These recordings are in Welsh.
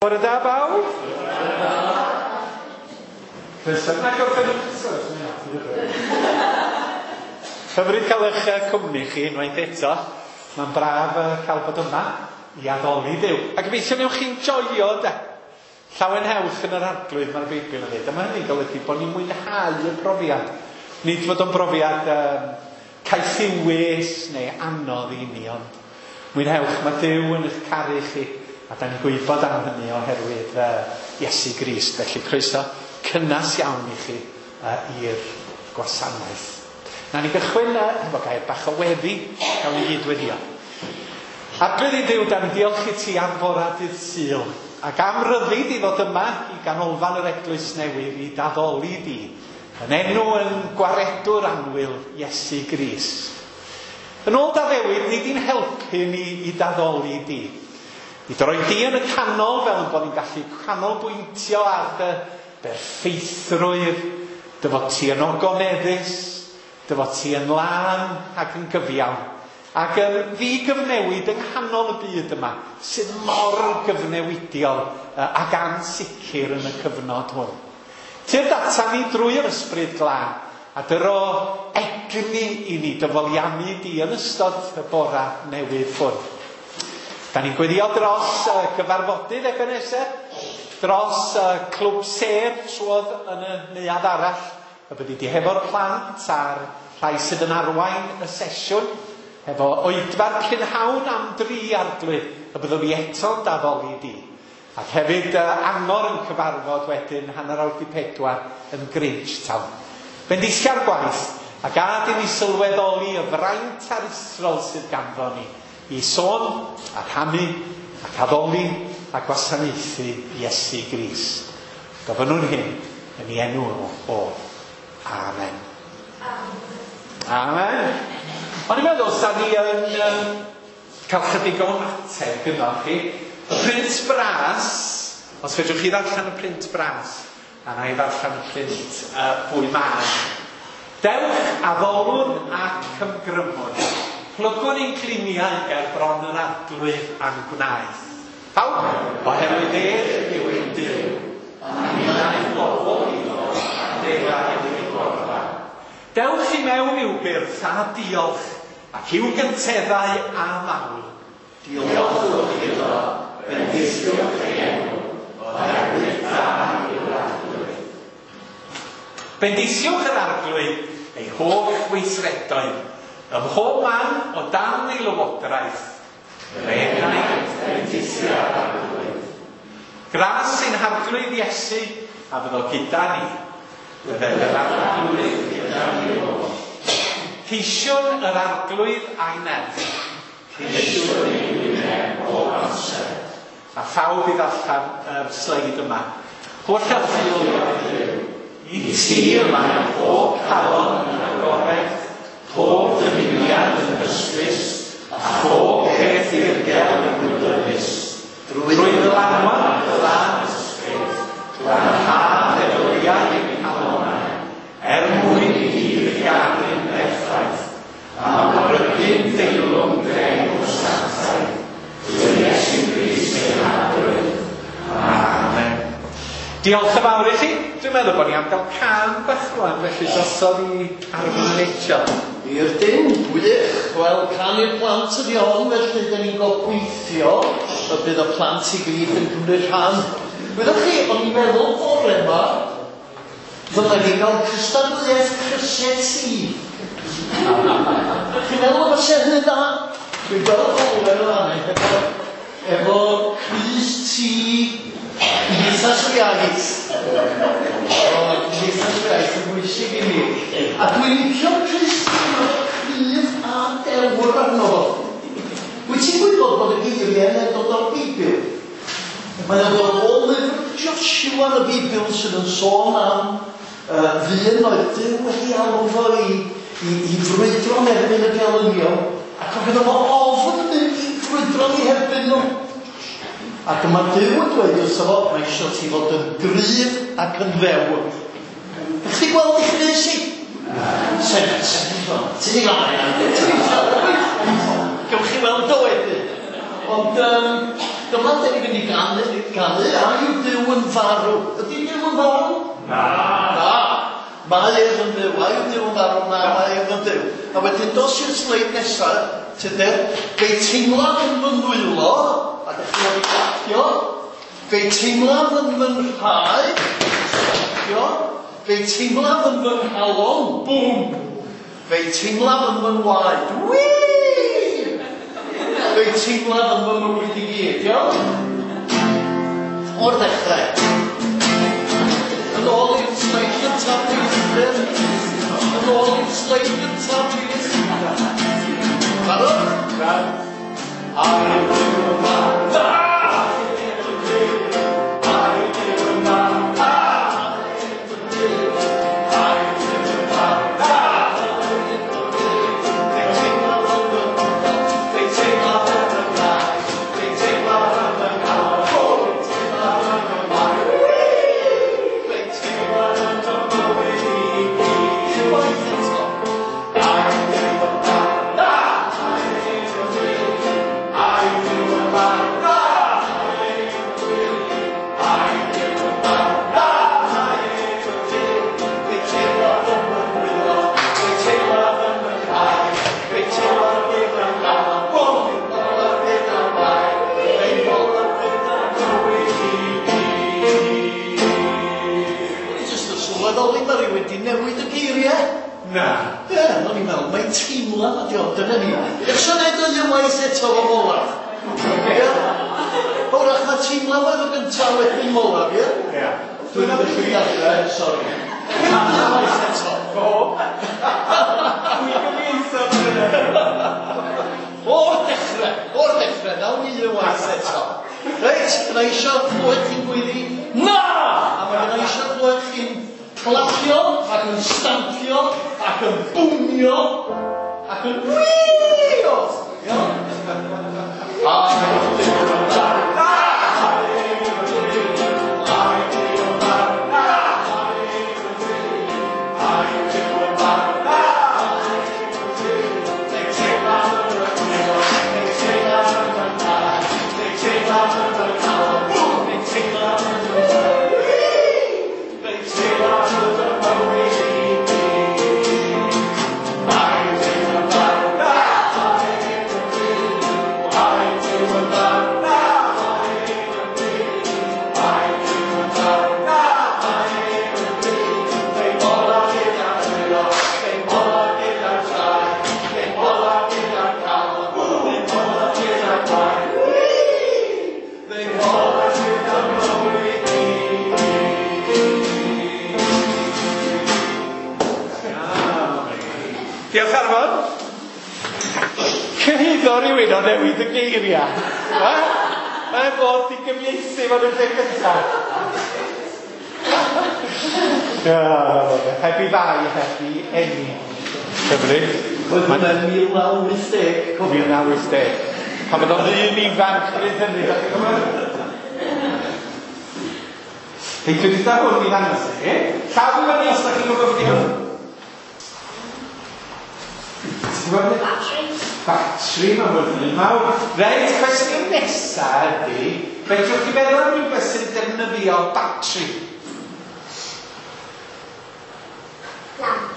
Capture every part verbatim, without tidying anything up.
Bore da bawb. Croeso. Na gorffen. Hyfryd cael eich cwmni chi unwaith eto. Mae'n braf cael bod yma i addoli Duw. A gobeithio newch chi'n joio de. Llawenhewch yn yr Arglwydd, mae'r Beibl yn dweud. A mae hynny'n golygu bod ni'n mwynhau y profiad. Nid fod o'n brofiad um, caethiwus neu anodd i ni, ond mwynhewch, mae Duw yn eich caru chi. A da ni'n gwybod am hynny oherwydd uh, Iesu Grist. Felly croeso cynnas iawn i chi uh, i'r gwasanaeth. Na ni gychwyn uh, efo gair bach o weddi, gawn ni gyd weddio. Arglwydd i Dduw, da ni'n diolch i ti am fora dydd Sul, ac am ryddid i ddod yma i ganolfan yr Eglwys Newydd i daddoli di, yn enw yn gwaredwr annwyl Iesu Grist. Yn ôl d'addewid, nid i'n helpu ni i daddoli di. I droi di yn y canol fel yn bod ni'n gallu canolbwyntio ar dy berffeithrwydd, dy fod ti yn ogoneddus, dy fod ti yn lân ac yn gyfiawn, ac yn ddigyfnewid yng nghanol y byd yma, sydd mor gyfnewidiol ac ansicr yn y cyfnod hwn. Tyrd ata ni drwy'r Ysbryd Glân, a dyro egni i ni dyfoliannu di yn ystod y bora newydd hwn. Da ni'n gweddio dros uh, gyfarfodydd Ebenezer, dros uh, clwb sef trwodd yn y neuadd arall, y byddi di hefo'r plant a'r rhai sydd yn arwain y sesiwn, hefo oedfa'r prynhawn am dri Arglwydd, y byddwn ni eto'n daddoli di. Ac hefyd uh, angor yn cyfarfod wedyn hanner awr di pedwar yn Grangetown. Bendithia'r gwaith, a gad i ni sylweddoli y fraint aruthrol sydd ganddo ni, i sôn a rhannu ac addoli a gwasanaethu Iesu Grist. Gofynnwn hyn yn ei enw o. Amen. Amen. O'n i'n meddwl, sa ni yn um, cael chydig o ymateb gyda chi. Y print bras, os fedrwch chi ddarllen y print bras, a na i ddarllen y print uh, fwy mân. Dewch addolwn ac ymgrymwn. Plygwn ein gliniau ger bron yr Arglwydd a'n gwnaeth. Pawb? Oherwydd ef yw ein Duw, a ninnau bobl iddo, a defaid ei borfa. Dewch i mewn i'w byrth a diolch, ac i'w gynteddau a mawl. Diolchwch iddo, bendithiwch ei enw, oherwydd da yw'r Arglwydd. Bendithiwch yr Arglwydd ei holl weithredoedd, ym mhob man o dan ei lywodraeth. Yr enaid bendithia'r Arglwydd. Gras ein Harglwydd Iesu a fyddo gyda ni. Bydded yr Arglwydd gyda ni oll. Ceisiwn yr Arglwydd a'i nerth. Ceisiwn ei wyneb bob amser. A phawb i ddarllen yr sleid yma. Holl alluog Dduw, i ti y mae pob calon yn agored, pob dymuniad yn hysbys, a phob peth dirgel yn wybodus. Drwy ddylanwad y Glân Ysbryd, glanha feddyliau ein calonnau, er mwyn i ni dy garu'n berffaith, a mawrygu'n deilwng dy enw sanctaidd, drwy Iesu Grist ein Harglwydd. Amen. Diolch yn fawr i chi. Dwi'n meddwl bod ni am gael cân bach rwan, felly drosodd i Arfon Rachel. I'r dim, gwych. Wel, cân i'r plant ydi hon, felly dyn ni'n gobeithio y bydd y plant i gyd yn cymryd rhan. Wyddoch chi, o'n i'n meddwl bore yma, ddylen ni gael cystadleuaeth crysau T. Chi'n meddwl am y hynny dda? Dwi'n gweld Owen yn fan efo, efo crys T Cymdeithas yr Iaith. O, Cymdeithas yr Iaith yn bwysig i mi. A dwi'n licio'r crys T, cryf a dewr arno fo. Wyt ti'n gwybod bod y geiriau yn dod o'r Beibl? Mae'n dod o lyfr Joshua yn y Beibl sydd yn sôn am uh, ddyn oedd Duw wedi alw fo i, i, i frwydro yn erbyn y gelynion, ac oedd gynno fo ofn mynd i frwydro yn eu herbyn nhw. Ac mae Duw yn dweud wrtho fo, mae eisiau ti fod yn gryf ac yn ddewr. Ydych chi'n gweld eich crys i? Sefyll, sefyll, ti'n ei gael, ti'n ei gael. Gewch chi weld o wedyn. Ond um, Dyma dyn ni'n mynd i ganu, ganu, a yw Duw yn farw. Ydy Duw yn farw? Na. Na. Mae ef yn fyw. A yw Duw yn farw? Na, mae ef yn fyw. A wedyn dos i'r sleid nesaf, Tudur, fe'i teimlaf yn fy nwylo, a dych chi wedi clapio, fe'i teimlaf yn fy nhraed, clapio, fe'i teimlaf yn fy nghalon, bwm, fe'i teimlaf yn fy ngwaed, wii! Fe'i teimlaf yn fy mywyd i gyd, iawn? O'r dechrau. Yn ôl i'r sleid gyntaf, please. Yn ôl i'r sleid gyntaf, please. Barod? Barod. A yw Duw yn farw? Na! A yw Duw yn farw? Na! A yw Duw yn farw? Na! Fe'i teimlaf yn fy nghalon, fe'i teimlaf yn fy nhraed, fe'i teimlaf yn fy nghalon, fe'i teimlaf yn fy ngwaed, fe'i teimlaf yn fy mywyd i gyd. Unwaith eto. A yw Duw yn farw? Na! A yw Duw yn farw? Na! A yw Duw yn farw? Na! Fe'i teimlaf yn fy nwylo, fe'i teimlaf yn fy nhraed, fe'i teimlaf yn fy nghalon, fe'i teimlaf yn fy ngwaed, fe'i teimlaf yn fy mywyd i gyd. O'n i jyst yn sylweddoli mae rhywun di newid y geiriau. Na. Ie, o'n i'n meddwl, mae'n teimlad ydi o, dyna ni. Eisiau gwneud o unwaith eto fo olaf. Ie? Wrach na teimlad oedd y gyntaf wedyn olaf, ie? Ie. Dwi'n mynd i ddechrau, sori. Unwaith eto. O! Dwi'n gyfieitho hynny. O'r dechrau, o'r dechrau, nawn ni unwaith eto. Reit, gynna i eisiau clywed chi'n gweiddi, Na! A mae gynna i eisiau clywed chi'n clapio, ac yn stampio, ac yn bwmio, ac yn wîo. Iawn? A yw Duw yn farw? Na! A yw Duw yn farw? Na! A yw Duw yn farw? Na! Fe'i teimlaf yn fy nwylo, fe'i teimlaf yn fy nhraed, fe'i teimlaf yn fy nghalon, fe'i teimlaf yn fy ngwaed, fe'i teimlaf yn fy mywyd i gyd. A yw Duw yn farw? Na! A yw Duw yn farw? Na! A yw Duw yn farw? Na! Fe'i molaf gyda'r dwylo, fe'i molaf gyda'r traed, fe'i molaf gyda'r calon, fe'i molaf gyda'r gwaed, Fe'i molaf gyda'r mywyd i gyd. Diolch Arfon. Cyhuddo rhywun o newid y geiriau. Ha? Mae'n bod i gyfieithu fo'n y lle cyntaf. Heb i fai, heb i eni. Hyfryd. Oedd hwnna'n mil naw wyth deg, cofio. mil naw wyth deg. Pan oedd o'n ddyn ifanc bryd hynny. Dach chi'n gwybod? Hei, dwi wedi dod hwn i ddangos i chi. Llaw i fyny os ydych chi'n gwybod beth i hwn. Ti'n gwybod beth? Batri. Batri, mae'n fod yn mawr. Reit, cwestiwn nesaf ydy, fedrwch chi feddwl am rhywbeth sy'n defnyddio batri? Lamp.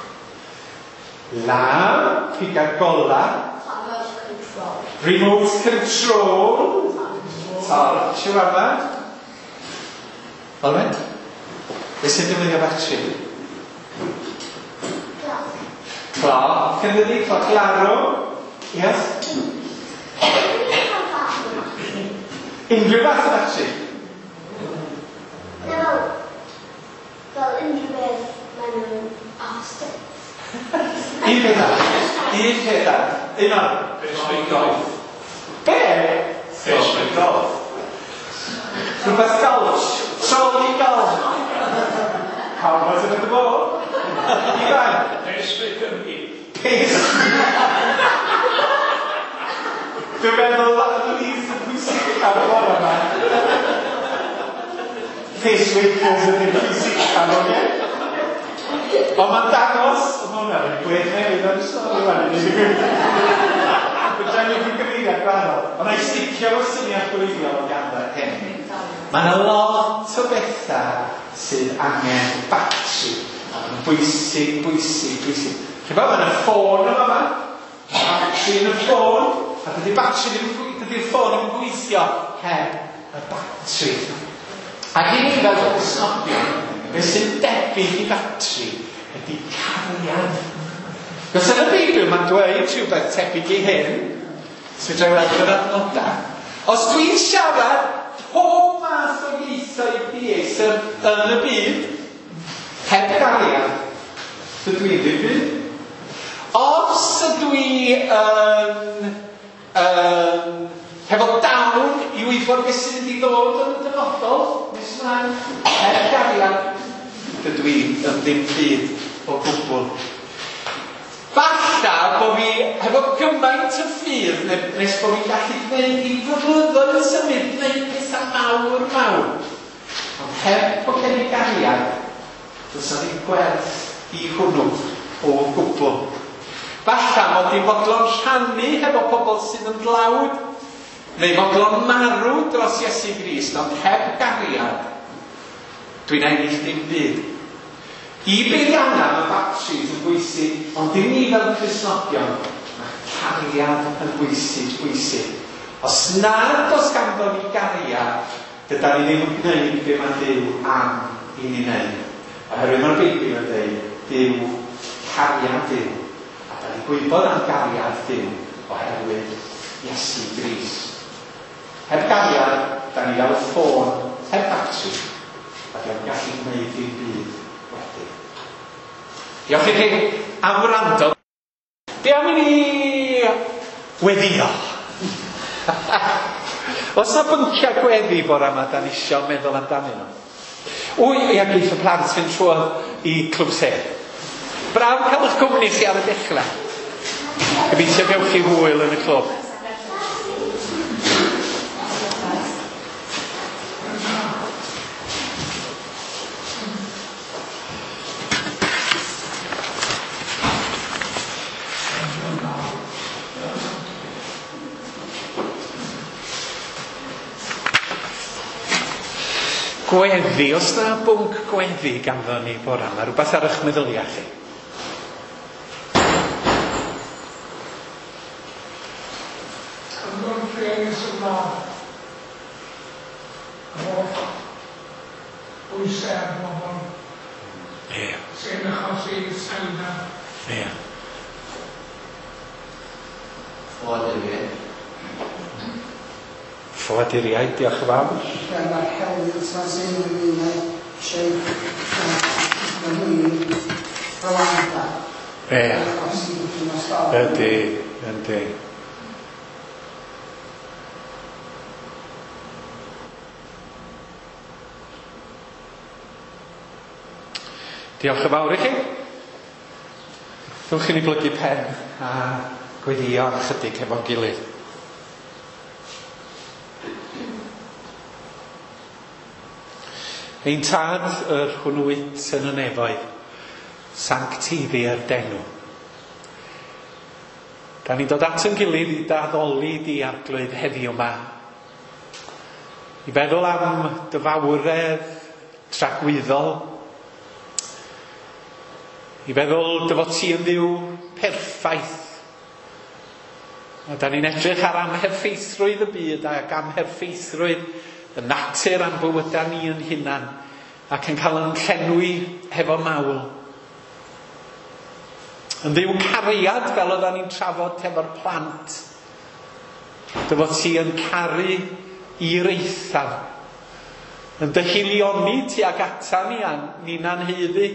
Lamp, piga'r gola. Remote control. Remote control. Torch yw yma. Olwen? Beth sy'n defnyddio batri? Clock. Cloc, yn dydi? Cloc larwm. Yes? Unrhyw fath o batri? No. Fel unrhyw beth maen nhw'n off. Un peth arall. Un peth arall. Un arall. Frisbee golf. Be? Frisbee golf. Rhywbeth golf. Trolley golf. Pawb oedd yn y bo? Ifan? Frisbee Cymru. Pacemaker. Dwi'n meddwl at least y pwysig ar y bore yma. Pacemakers ydy'r pwysig am oce? Ond mae'n dangos, mae hwnna'n gwedd newydd, I'm sorry, wan, i ddweud y gwir. Fedra i mynd i gyfeiriad gwahanol. Ond na i sticio efo syniad gwreiddiol o ganddo hyn. Mae yna lot o bethau sydd angen batri. A maen nhw'n bwysig, bwysig, bwysig. Chi'n bod, mae yna ffôn yma yma. Batri yn y ffôn. A dydy'r batri ddim, dydy'r ffôn ddim yn gweithio heb y batri. Ac i ni fel Cristnogion, beth sy'n debyg i batri ydy cariad. Cos yn y Beibl mae'n dweud rhywbeth tebyg i hyn, sy'n dweud weld yr adnodau. Os dwi'n siarad pob math o ieithoedd dieithr yn y byd, heb gariad, dydw i ddim byd. Os ydw i yn, yn hefo dawn i wybod beth sy'n mynd i ddod yn y dyfodol, nes ymlaen, heb gariad, dydw i yn ddim byd o gwbl. Falla bod fi hefo gymaint o ffydd nes bod fi'n gallu gwneud i flynyddoedd yn symud, gwneud pethau mawr mawr. Ond heb bod gen i gariad, does na ddim gwerth i hwnnw o gwbl. Falla mod i'n fodlon rhannu hefo pobl sydd yn dlawd, neu fodlon marw dros Iesu Grist, ond heb gariad, dwi'n ennill dim byd. I beiriannau mae batris yn bwysig, ond i ni fel Cristnogion, mae cariad yn bwysig, bwysig. Os nad oes ganddo ni gariad, dydan ni ddim yn gwneud be mae Duw am i ni wneud. Oherwydd mae'r Beibl yn dweud, Duw, cariad Duw. A da ni'n gwybod am gariad Duw oherwydd Iesu Grist. Heb gariad, da ni fel ffôn, heb batri, a diolch yn gallu gwneud dim byd wedyn. Diolch i chi am wrando. Be am i ni weddio? Oes na bynciau gweddi bore yma da ni isio meddwl amdanyn nhw? Wy, ia, geith y plant fynd trwodd i Clwb Sêr. Braf cael eich cwmni chi ar y dechrau. Gobeithio gewch chi hwyl yn y clwb. Gweddi, os na bwnc gweddi ganddo ni bore yma, rhywbeth ar eich meddyliau chi? Cyngor rhieni sy'n mlaen. Yr holl bwysau ar bobl. Ie. Sy'n achosi iselder. Ie. Ffoaduriaid. Ffoaduriaid, diolch yn fawr. Ie, mae'r helynt yma sy'n ynglyn â eisiau Rwanda. Ie. Ydy, ydy. Diolch yn fawr i chi. Dewch i ni blygu pen a gweddio am chydig hefo'n gilydd. Ein tad yr hwnnw wyt yn y nefoedd, sancteiddier d'enw. Da ni'n dod at yn gilydd i d'addoli di Arglwydd heddiw yma. I feddwl am dy fawredd tragwyddol. I feddwl dy fod ti yn Dduw perffaith. A da ni'n edrych ar amherffeithrwydd y byd ac amherffeithrwydd y natur a'n bywydau ni yn hunan ac yn cael yn llenwi hefo mawl. Yn Dduw cariad, fel oeddan ni'n trafod hefo'r plant, dy fod ti yn caru i'r eithaf, yn dy hilioni tuag ata ni a ni'n haeddu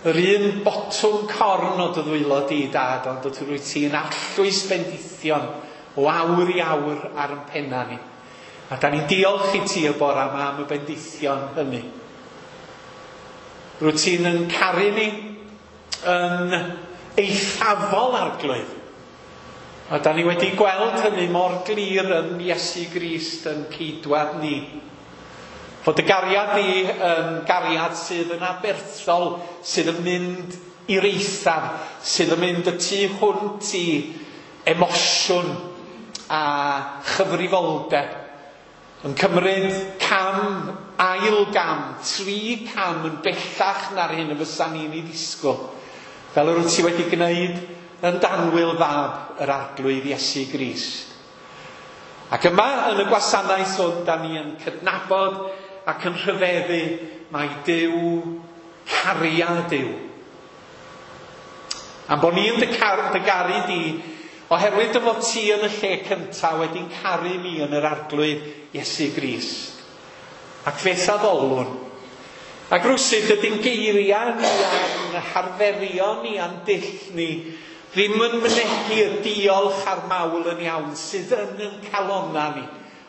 yr un botwm corn o dy ddwylo di, Dad, ond rwyt ti'n arllwys bendithion o awr i awr ar yn penna ni. A da ni'n diolch i ti y bore yma am y bendithion hynny. Rwyt ti'n yn caru ni yn eithafol, Arglwydd. A da ni wedi gweld hynny mor glir yn Iesu Grist yn ceidwad ni. Fod y gariad ni yn gariad sydd yn aberthol, sydd yn mynd i'r eithaf, sydd yn mynd y tu hwnt i emosiwn a chyfrifoldeb, yn cymryd cam, ail gam, tri cam yn bellach na'r hyn y fysa ni'n ei ddisgwyl, fel yr wyt ti wedi gwneud yn danwyl fab yr Arglwydd Iesu Grist. Ac yma yn y gwasanaeth hwn, da ni yn cydnabod ac yn rhyfeddu mai Duw cariad yw. Am bod ni yn dy, car, dy garu di, oherwydd dy fod ti yn y lle cyntaf wedi'n caru ni yn yr Arglwydd Iesu Grist. Ac fe'th addolwn. Ac rwsut ydy'n geiriau ni a'n harferion ni a'n dull ni ddim yn mynegi y diolch a'r mawl yn iawn sydd yn yn calonna ni,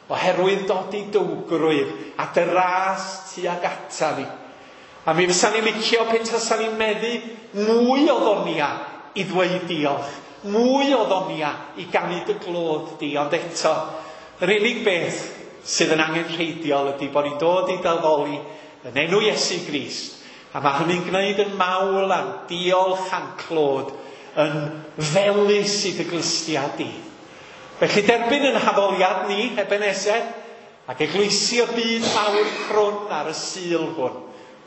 oherwydd dod i dywgrwydd a dy ras tuag ata ni. A mi fysa ni'n licio pe tasa ni'n meddu mwy o ddonia i ddweud diolch, mwy o ddonia i ganu dy glod di, ond eto, yr unig beth sydd yn angenrheidiol ydy bod ni'n dod i dy addoli yn enw Iesu Grist, a mae hynny'n gwneud yn mawl a'n diolch a'n clod yn felys i dy glustiau di. Felly derbyn yn haddoliad ni, Ebenezer, ac eglwysi y byd mawr crwn ar y Sul hwn,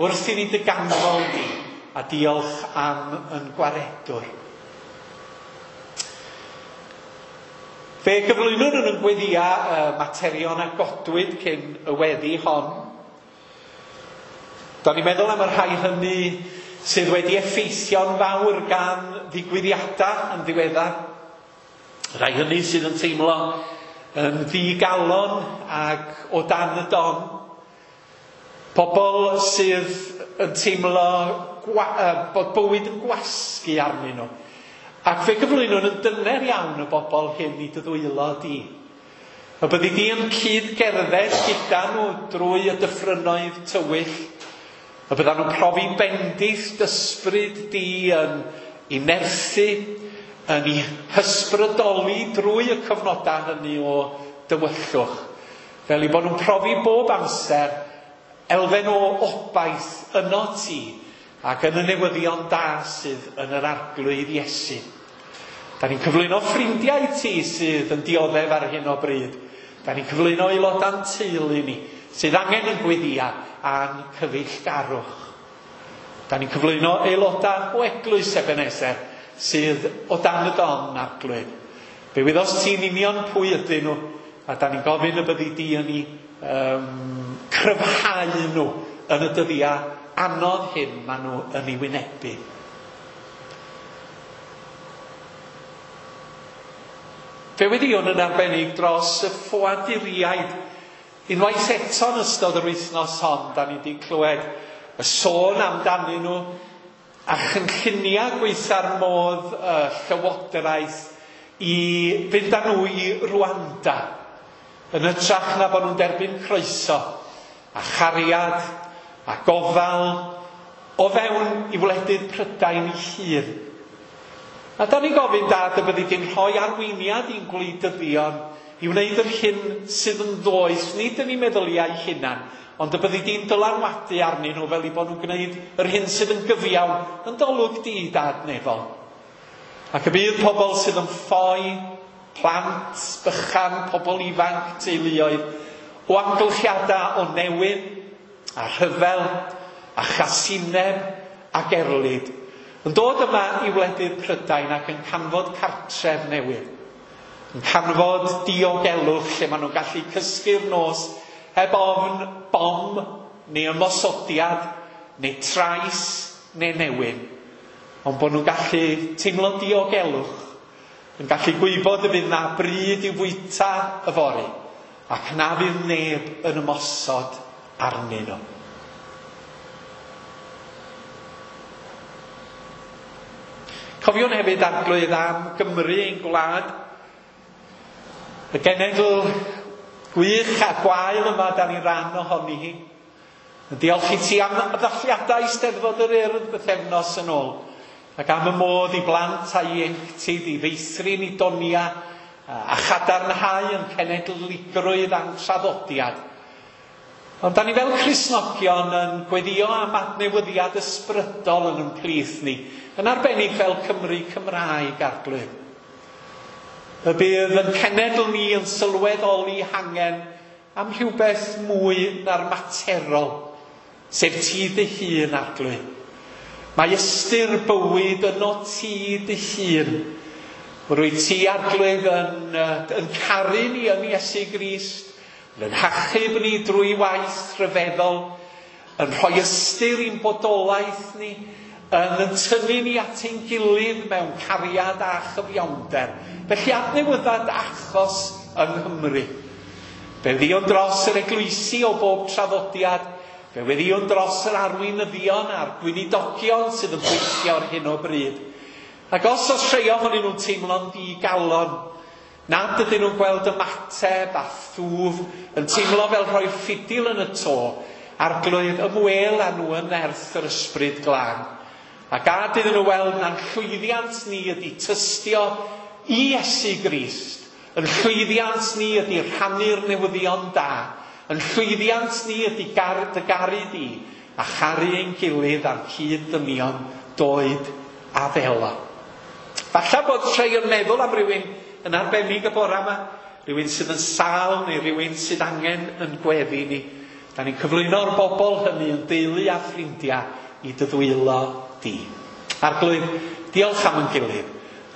wrth i ni dy ganmol di, a diolch am yn gwaredwr. Fe gyflwynwn yn y gweddia uh, materion a godwyd cyn y weddi hon. Da ni'n meddwl am y rhai hynny sydd wedi effeithio'n fawr gan ddigwyddiadau yn ddiweddar. Rhai hynny sydd yn teimlo yn ddigalon ac o dan y don. Pobl sydd yn teimlo bod bywyd yn gwasgu arnyn nhw. Ac fe gyflwynwn yn dyner iawn y bobl hyn i dy ddwylo di. Y byddi di yn cyd-gerdded gyda nhw drwy y dyffrynoedd tywyll. Y byddan nhw'n profi bendith d'ysbryd di yn i nerthu, yn ei hysbrydoli drwy y cyfnodau hynny o dywyllwch. Fel i bod nhw'n profi bob amser elfen o obaith yno ti ac yn y newyddion da sydd yn yr Arglwydd Iesu. Da ni'n cyflwyno ffrindiau ti sydd yn dioddef ar hyn o bryd. Da ni'n cyflwyno aelodau'n teulu ni sydd angen yn gweddia a'n cyfeillgarwch. Da ni'n cyflwyno aelodau o eglwys Ebenezer sydd o dan y don, Arglwydd. Fe wyddost ti'n union pwy ydyn nhw, a da ni'n gofyn y byddi di yn ei um, cryfhau nhw yn y dyddiau anodd hyn maen nhw yn ei wynebu. Fe weddïwn yn arbennig dros y ffoaduriaid. Unwaith eto yn ystod yr wythnos hon, da ni wedi clywed y sôn amdanyn nhw a chynlluniau gweitha'r modd y llywodraeth i fynd â nhw i Rwanda yn hytrach na bod nhw'n derbyn croeso a chariad a gofal o fewn i wledydd Prydain ei hun. A da ni'n gofyn, Dad, y byddi di'n rhoi arweiniad i'n gwleidyddion i wneud yr hyn sydd yn ddoeth, nid yn eu meddyliau hunan, ond y byddi di'n dylanwadu arnyn nhw fel i bod nhw'n gwneud yr hyn sydd yn gyfiawn yn d'olwg di, Dad nefol. Ac y bydd pobl sydd yn ffoi, plant, bychan, pobl ifanc, teuluoedd, o amgylchiadau o newyn, a rhyfel, a chasineb, ac erlid, yn dod yma i wledydd Prydain ac yn canfod cartref newydd. Yn canfod diogelwch lle maen nhw'n gallu cysgu'r nos heb ofn bom neu ymosodiad neu trais neu newyn. Ond bod nhw'n gallu teimlo diogelwch, yn gallu gwybod y bydd na bryd i'w fwyta yfory, ac na fydd neb yn ymosod arnyn nhw. Cofiwn hefyd, Arglwydd, am Gymru ein gwlad. Y genedl gwych a gwael yma da ni'n rhan ohoni hi. Yn diolch i ti am ddathliadau Eisteddfod yr Urdd bythefnos yn ôl, ac am y modd i blant a ieuenctid i feithrin i donia a chadarnhau yn cenedligrwydd a'n traddodiad. Ond da ni fel Cristnogion yn gweddio am adnewyddiad ysbrydol yn ein plith ni, yn arbennig fel Cymru Cymraeg, Arglwydd. Y bydd yn cenedl ni yn sylweddoli hangen am rhywbeth mwy na'r materol, sef ti dy hun, Arglwydd. Mae ystyr bywyd yno ti dy hun. Rwyt ti, Arglwydd, yn, yn caru ni yn Iesu Grist, yn hachub ni drwy waith rhyfeddol, yn rhoi ystyr i'n bodolaeth ni, yn yn tynnu ni at ein gilydd mewn cariad a chyfiawnder. Felly adnewydda dy achos yng Nghymru. Fe weddïwn dros yr eglwysi o bob traddodiad, fe weddïwn dros yr arweinyddion a'r gweinidogion sydd yn gweithio ar hyn o bryd. Ac os oes rhai ohonyn nhw'n teimlo'n ddigalon, nad ydyn nhw'n gweld ymateb a thwf, yn teimlo fel rhoi ffidil yn y to, Arglwydd, ymwel â nhw yn nerth yr Ysbryd Glân. A gad iddyn nhw weld na'n llwyddiant ni ydy tystio i Iesu Grist. Yn llwyddiant ni ydy rhannu'r newyddion da. Yn llwyddiant ni ydy gar, dy garu di a charu ein gilydd a'n cyd-ddynion doed a ddelo. Falle bod rhai yn meddwl am rywun yn arbennig y bore yma, rhywun sydd yn sâl neu rhywun sydd angen yn gweddi ni. Da ni'n cyflwyno'r bobl hynny yn deulu a ffrindiau i dy ddwylo di. Arglwydd, diolch am yn gilydd,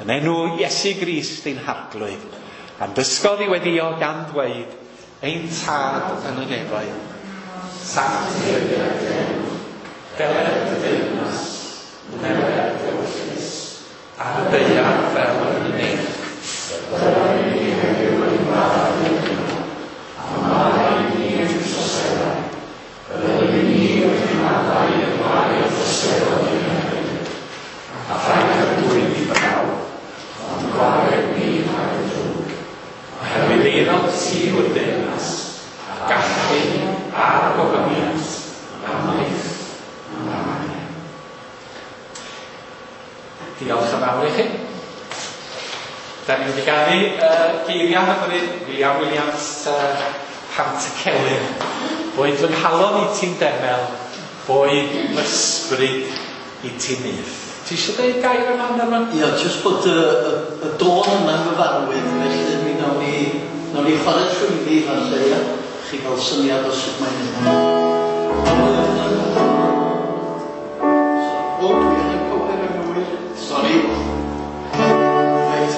yn enw Iesu Grist ein Harglwydd, a'n dysgodd i weddïo gan ddweud, ein Tad yn y nefoedd, sancteiddied dy enw, deled dy deyrnas, wneled dy ewyllys, ar y ddaear fel yn y nef. Rhoi i ni heddiw ein bara dyddiol, a maddau i ni ein troseddau, fel yr ydym ni wedi maddau i'r rhai a droseddodd i'n herbyn, a phaid â dwyn ni brawf, ond gwared ni rhag y drwg. Oherwydd eiddo ti yw'r deyrnas, a'r gallu, a'r gogoniant, am byth. Amen. Diolch yn fawr i chi. Da ni wedi ganu uh, geiriau hyfryd William Williams uh, Pantycelyn. Boed fy nghalon i ti'n demel, boed fy ysbryd i ti'n nyth. Ti eisiau dweud gair yma, Norman? Ia, jyst bod y, y, y dôn yma'n gyfarwydd, felly mi nawn ni, nawn ni chwarae trwyddi falle, ia? Chi gael syniad o sut mae'n mynd. O, dwi yn y cywir yn gywir. Sori. Reit.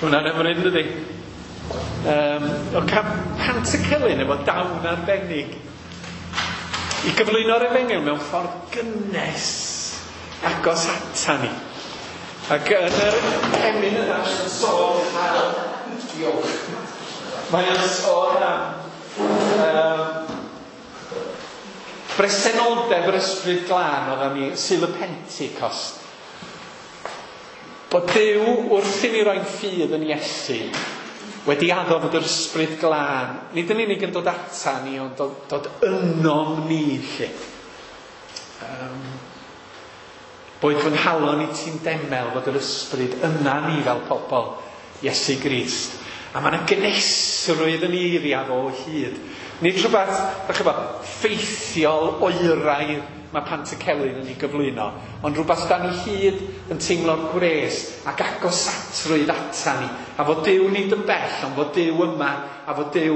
Hwna'n hyfryd, dydi? Um, o cael Pantycelyn efo dawn arbennig i gyflwyno'r efengyl mewn ffordd gynnes agos ata ni. Ac yn yr emyn yna mae'n sôn am... Diolch. Mae'n sôn am um, bresenoldeb yr Ysbryd Glân oeddan ni Sul y Pentecost. Bod Duw wrth i ni roi'n ffydd yn Iesu wedi addo fod yr Ysbryd Glân nid yn unig yn dod ata ni, ond dod, dod ynom ni lle. Um, boed fy nghalon i ti'n demel fod yr Ysbryd yna ni fel pobl Iesu Grist. A mae yna gynhesrwydd yn eiriau fo o hyd. Nid rhywbeth, dach chi'n gwbod, ffeithiol oeraidd mae Pantycelyn yn ei gyflwyno, ond rhywbeth da ni hyd yn teimlo'r gwres ac agosatrwydd ata ni. A fod Duw nid yn bell, ond fod Duw yma, a fod Duw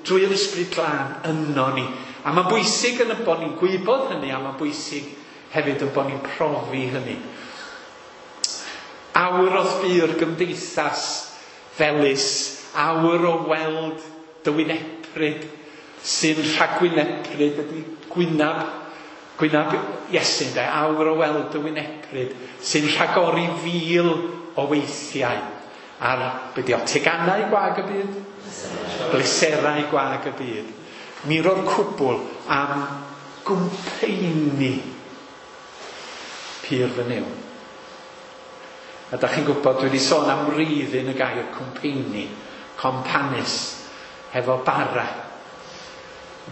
drwy'r Ysbryd Glân yno ni. A mae'n bwysig yn y bod ni'n gwybod hynny, a mae'n bwysig hefyd yn bod ni'n profi hynny. Awr o'dd bu'r gymdeithas felys, awr o weld dy wynepryd sy'n rhagwynepryd ydy gwynab, gwynab Iesu, de, awr o weld dy wynepryd sy'n rhagori fil o weithiau ar, be di o, teganau gwag y byd? Bleserau gwag y byd. Mi ro'r cwbl am gwmpeini pur fy Nuw. A da chi'n gwybod, dwi wedi sôn am wreiddyn y gair cwmpeini, companus, hefo bara.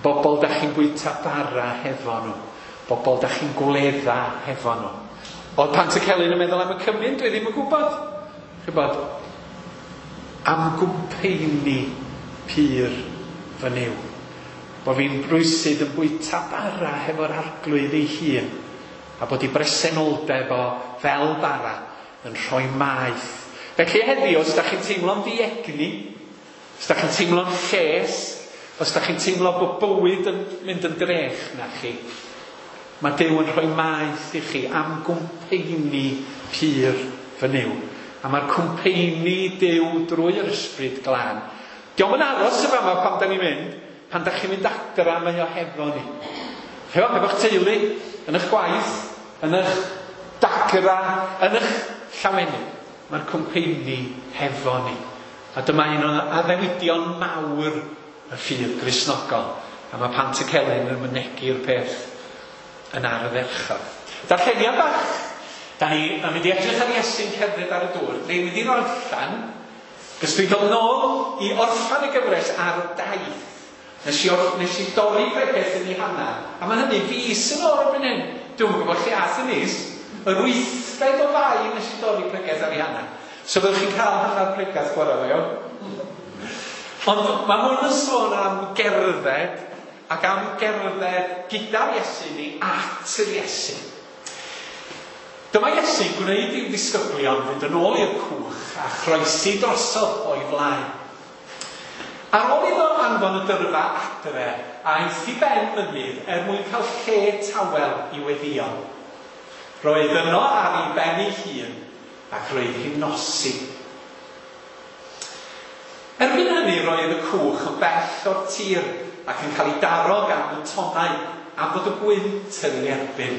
Bobl da chi'n bwyta bara hefo nhw. Bobl da chi'n gwledda hefo nhw. Oedd Pantycelyn yn meddwl am y cymun? Dwi ddim yn gwybod. Chybod, am gwmpeini pur fy Nuw. Bo fi'n brwysyd yn bwyta bara hefo'r Arglwydd ei hun. A bod ei bresenoldeb o fel bara yn rhoi maeth. Felly heddiw, os da chi'n teimlo'n ddiegni, os da chi'n teimlo'n lles, os da chi'n teimlo bod bywyd yn mynd yn drech na chi, mae Duw yn rhoi maeth i chi am gwmpeini pur fy Nuw. A mae'r cwmpeini Duw drwy'r Ysbryd Glân. Dio'm yn aros y fama pan da ni'n mynd, pan da chi'n mynd adra mae o hefo ni. Hefo, hefo'ch teulu, yn eich gwaith, yn eich dagra, yn eich llawenydd. Mae'r cwmpeini hefo ni. A dyma un o'n addewidion mawr y ffydd Gristnogol. A mae Pantycelyn yn mynegi'r peth yn ardderchog. Darlleniad bach. Da ni yn mynd i edrych ar Iesu'n cerdded ar y dŵr. Ni'n mynd i'n orffan, cos dwi'n dod nôl i orffan y gyfres ar daith. Nes i, or, nes i dorri pregeth yn ei hanner. A mae hynny fis yn ôl erbyn hyn. Dwi'm yn gwybod lle ath y mis. Yr wythfed o Fai nes i dorri pregeth ar ei hanner. So fyddwch chi'n cael hanner pregeth bore yma, iawn? Ond mae hwn yn sôn am gerdded, ac am gerdded gyda'r Iesu ni at yr Iesu. Dyma Iesu'n gwneud i'w ddisgyblion fynd yn ôl i'r cwch a chroesi drosodd o'i flaen. Ar ôl iddo anfon y dyrfa adre, aeth i ben mynydd er mwyn cael lle tawel i weddio. Roedd yno ar ei ben ei hun ac roedd hi'n nosi. Erbyn hynny roedd y cwch yn bell o'r tir ac yn cael ei daro gan y tonnau am fod y gwynt yn ei erbyn.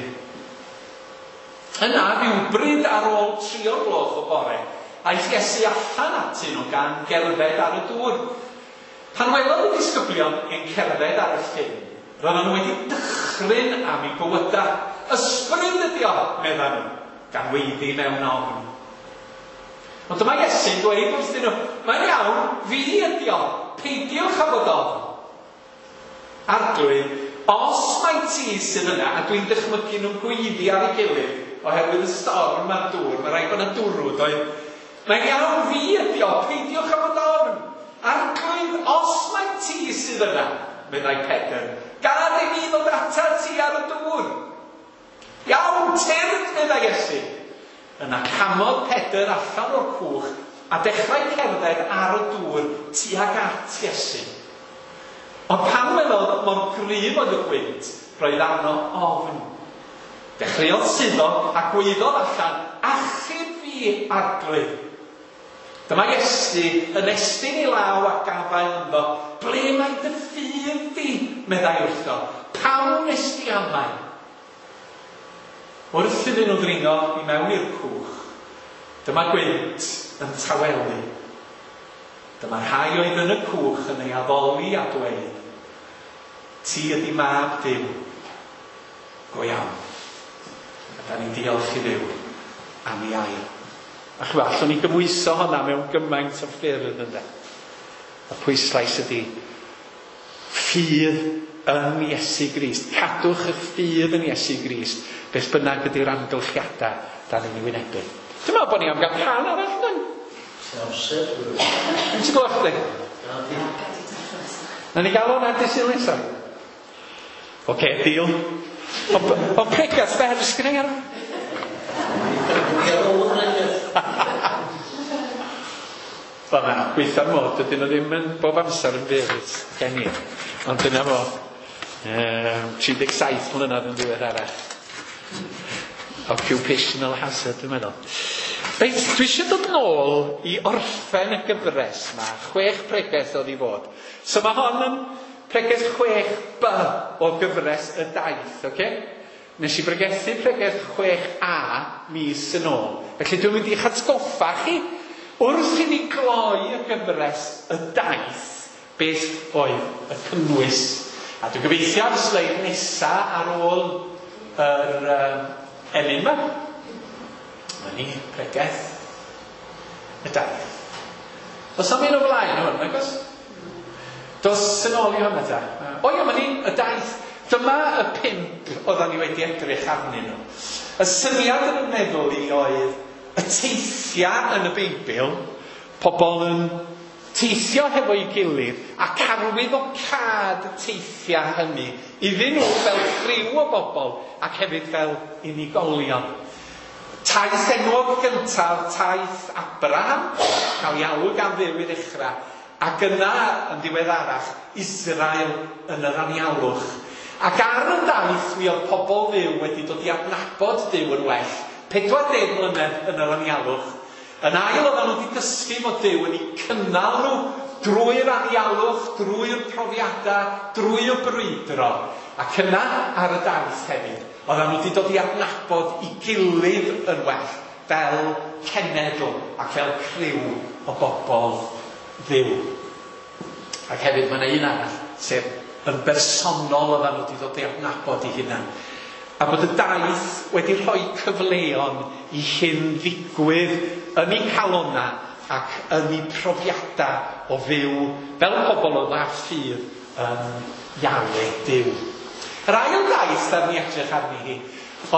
Yna, rhywbryd ar ôl tri o'r gloch o bore, aeth Iesu allan atyn nhw gan gerdded ar y dŵr. Pan welodd y disgyblion yn cerdded ar y llyn, roedden nhw wedi dychryn am eu bywydau. Ysbryd ydi o, meddan nhw, gan weiddi mewn ofn. Ond dyma Iesu'n dweud wrthyn nhw, mae'n iawn, fi ydi o, peidiwch â bod ofn. Arglwydd, os mai ti sydd yna, a dwi'n dychmygu nhw'n gweiddi ar ei gilydd, oherwydd y storm a'r dŵr, mae rhaid bod yna dwrw, doedd? Mae'n iawn, fi ydi o, peidiwch â bod ofn. Arglwydd, os mai ti sydd yna, meddai Pedr, gad i mi ddod atat ti ar y dŵr. Iawn, tyrd, meddai Iesu. Yna camodd Pedr allan o'r cwch a dechrau cerdded ar y dŵr tuag at Iesu. Ond pan welodd mor gryf oedd y gwynt, roedd arno ofn. Dechreuodd suddo a gwaeddodd allan, achub fi, Arglwydd. Dyma Iesu yn estyn ei law a gafael ynddo. Ble mae dy ffydd di? Meddai wrtho. Pam nes di amau? Wrth iddyn nhw ddringo i mewn i'r cwch, dyma gwynt yn tawelu. Dyma rhai oedd yn y cwch yn ei addoli a dweud, ti ydi mab Duw. Go iawn. A da ni'n diolch i Dduw am ei air. A chwa, allwn ni gymhwyso hwnna mewn gymaint o ffyrdd ynde. Y pwyslais ydi ffydd yn Iesu Grist. Cadwch eich ffydd yn Iesu Grist, beth bynnag ydy'r amgylchiadau da ni'n ei wynebu. Dwi'n meddwl bod ni am gael can arall yn. Amser. Ti'n gwybod chdi? Na ni gael hwnna dydd Sul nesaf. Oce, deal. Ond pregath fer sgynna i ar. Wel na, gweitha'r mod, dydyn nhw ddim yn bob amser yn fyr gen i. Ond dyna fo. Um, tri deg saith mlynedd yn ddiweddarach. Occupational hazard, dwi'n meddwl. Reit, dwi eisiau dod nôl i orffen y gyfres yma. Chwech pregeth oedd i fod. So mae hon yn pregeth chwech B o gyfres y daith, oce? Okay? Nes i bregethu pregeth chwech A mis yn ôl. Felly dwi'n mynd i'ch atgoffa chi wrth i ni gloi y gyfres y daith beth oedd y cynnwys. A dwi'n gobeithio ar y sleid nesa ar ôl yr um, emyn yma. Mae ni pregeth y daith. Does am un o flaen hwn, nag oes? Dos yn ôl i hwnna ta. O ia, mae ni y daith. Dyma y pump oeddan ni wedi edrych arnyn nhw. Y syniad yn y meddwl i oedd y teithiau yn y Beibl, pobl yn teithio hefo'i gilydd ac arwyddocâd y teithiau hynny iddyn nhw fel criw o bobl ac hefyd fel unigolion. Taith enwog gyntaf, taith Abraham, cael ei alw gan Dduw i ddechrau, ac yna yn ddiweddarach Israel yn yr anialwch. Ac ar y daith mi oedd pobl Dduw wedi dod i adnabod Duw yn well, pedwar deg mlynedd yn yr anialwch. Yn ail oedden nhw wedi dysgu fod Duw yn eu cynnal nhw drwy'r anialwch, drwy'r profiadau, drwy'r brwydro. Ac yna ar y daith hefyd, oedden nhw wedi dod i adnabod ei gilydd yn well, fel cenedl ac fel criw o bobl Dduw. Ac hefyd mae yna un arall, sef yn bersonol oedden nhw wedi dod i adnabod ei hunan. A bod y daith wedi rhoi cyfleon i hyn ddigwydd yn eu calonna ac yn eu profiadau o fyw fel pobl oedd â ffydd yn Iawe Duw. Yr ail daith ar ni edrych arni hi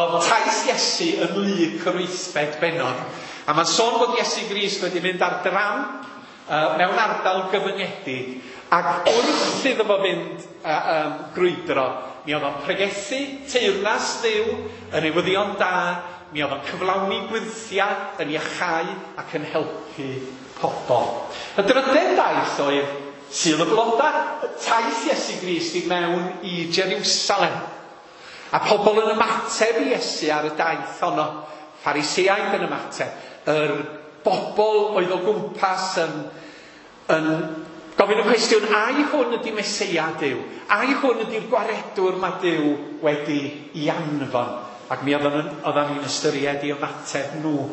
oedd taith Iesu yn Luc yr wythfed bennod. A mae'n sôn bod Iesu Grist wedi mynd ar dramp uh, mewn ardal gyfyngedig, ac wrth iddo fo fynd uh, um, grwydro, mi oedd o'n pregethu teyrnas Dduw yn newyddion da, mi oedd o'n cyflawni gwyrthiau, yn iachau ac yn helpu pobl. Y drydedd daith oedd Sul y Bloda, taith Iesu Grist i mewn i Jerusalem. A pobl yn ymateb i Iesu ar y daith honno. Phariseaid yn ymateb. Yr bobl oedd o gwmpas yn, yn gofyn y cwestiwn, ai hwn ydy Meseia Duw? Ai hwn ydy'r gwaredwr mae Duw wedi i anfon? Ac mi oedden ni'n ystyried i ymateb nhw.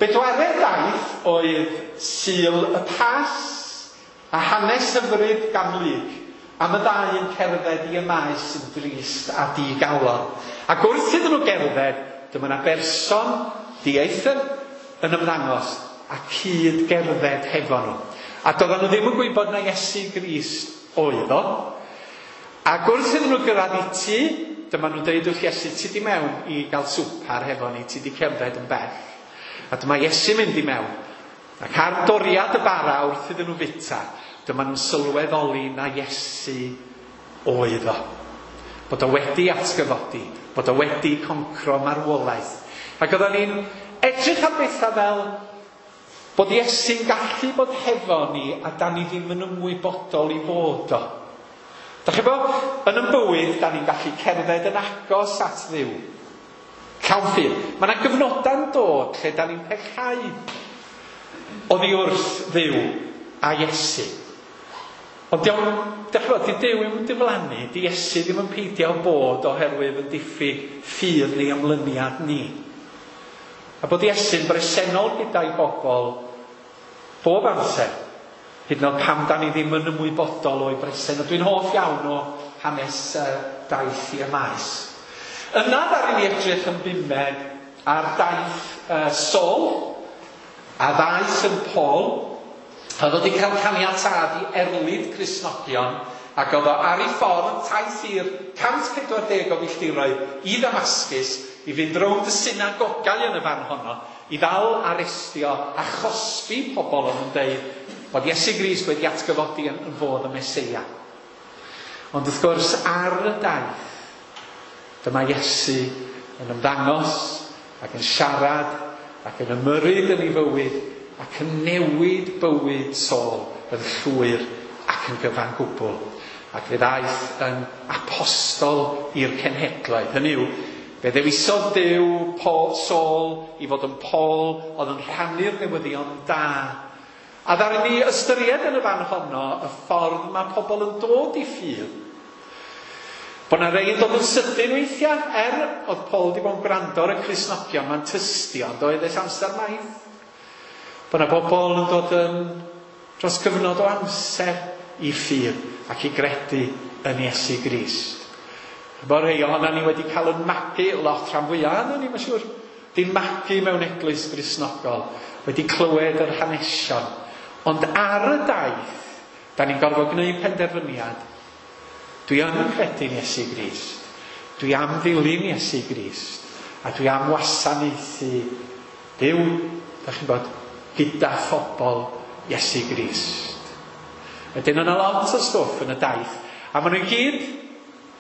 Bedwaredd daith oedd Sul y Pasg a hanes hyfryd gan Luc am y ddau yn cerdded i y maes yn drist a digalon. Ac wrth iddyn nhw gerdded, dyma yna berson dieithr yn ymddangos a cyd gerdded hefo nhw. A doedden nhw ddim yn gwybod na Iesu Grist oedd o. Ac wrth iddyn nhw gyrraedd i tŷ, dyma nhw'n dweud wrth Iesu, ti di mewn i gael swpar hefo ni, ti di cerdded yn bell. A dyma Iesu mynd i mewn. Ac ar doriad y bara wrth iddyn nhw fita, dyma nhw'n sylweddoli na Iesu oedd o. Bod o wedi atgyfodi, bod o wedi concro marwolaeth. Ac oedden ni'n edrych ar bethau fel bod Iesu'n gallu bod hefo ni a da ni ddim yn ymwybodol i fod o. Da chi bo, yn yn bywyd, da ni'n gallu cerdded yn agos at Dduw. Llawn ffydd. Mae yna gyfnodau'n dod lle da ni'n pellhau. Oddi wrth Dduw a Iesu. Ond diolch, dych chi'n di Duw ddim yn diflannu, di Iesu ddim yn peidio bod oherwydd yn diffyg ffydd neu ymlyniad ni. A bod Iesu'n bresennol gyda'i bobl bob amser, hyd yn oed pam da ni ddim yn ymwybodol o'i bresen. A dwi'n hoff iawn o hanes uh, daith i Emaus. Yna ddaru ni edrych yn bumed ar daith uh, Saul, a ddaeth yn Paul, a oedd wedi cael caniatâd i erlid Cristnogion, ac oedd o ar ei ffordd taith i'r cant pedwar deg o filltiroedd i Ddamascus, i fynd rownd y synagogau yn y fan honno, i ddal arestio a chosbi pobl oedd yn deud bod Iesu Grist wedi atgyfodi yn, yn fodd y Meseia. Ond wrth gwrs, ar y daith, dyma Iesu yn ymddangos ac yn siarad ac yn ymyrryd yn ei fywyd ac yn newid bywyd Saul yn llwyr ac yn gyfan gwbl. Ac fe ddaeth yn apostol i'r cenhedloedd. Hynny yw, fe ddewisodd Duw Paul, Saul i fod yn Paul oedd yn rhannu'r newyddion da. A ddaru ni ystyried yn y fan honno y ffordd mae pobl yn dod i ffydd. Bod na rei yn dod yn sydyn weithiau, er oedd Paul wedi bod yn gwrando ar y Cristnogion, mae'n tystio, ond oedd ers amser maith. Bod na bobl yn dod yn dros gyfnod o amser i ffydd ac i gredu yn Iesu Grist. Bod rhai ohonan ni wedi cael yn magu, lot rhan fwyaf ohonan ni, mae'n siŵr, di magu mewn eglwys Gristnogol, wedi clywed yr hanesion. Ond ar y daith, da ni'n gorfod gwneud penderfyniad. Dwi yn credu'n Iesu Grist. Dwi am ddilyn Iesu Grist. A dwi am wasanaethu Duw, da chi'n bod, gyda phobl Iesu Grist. Wedyn yna lot o stwff yn y daith. A maen nhw i gyd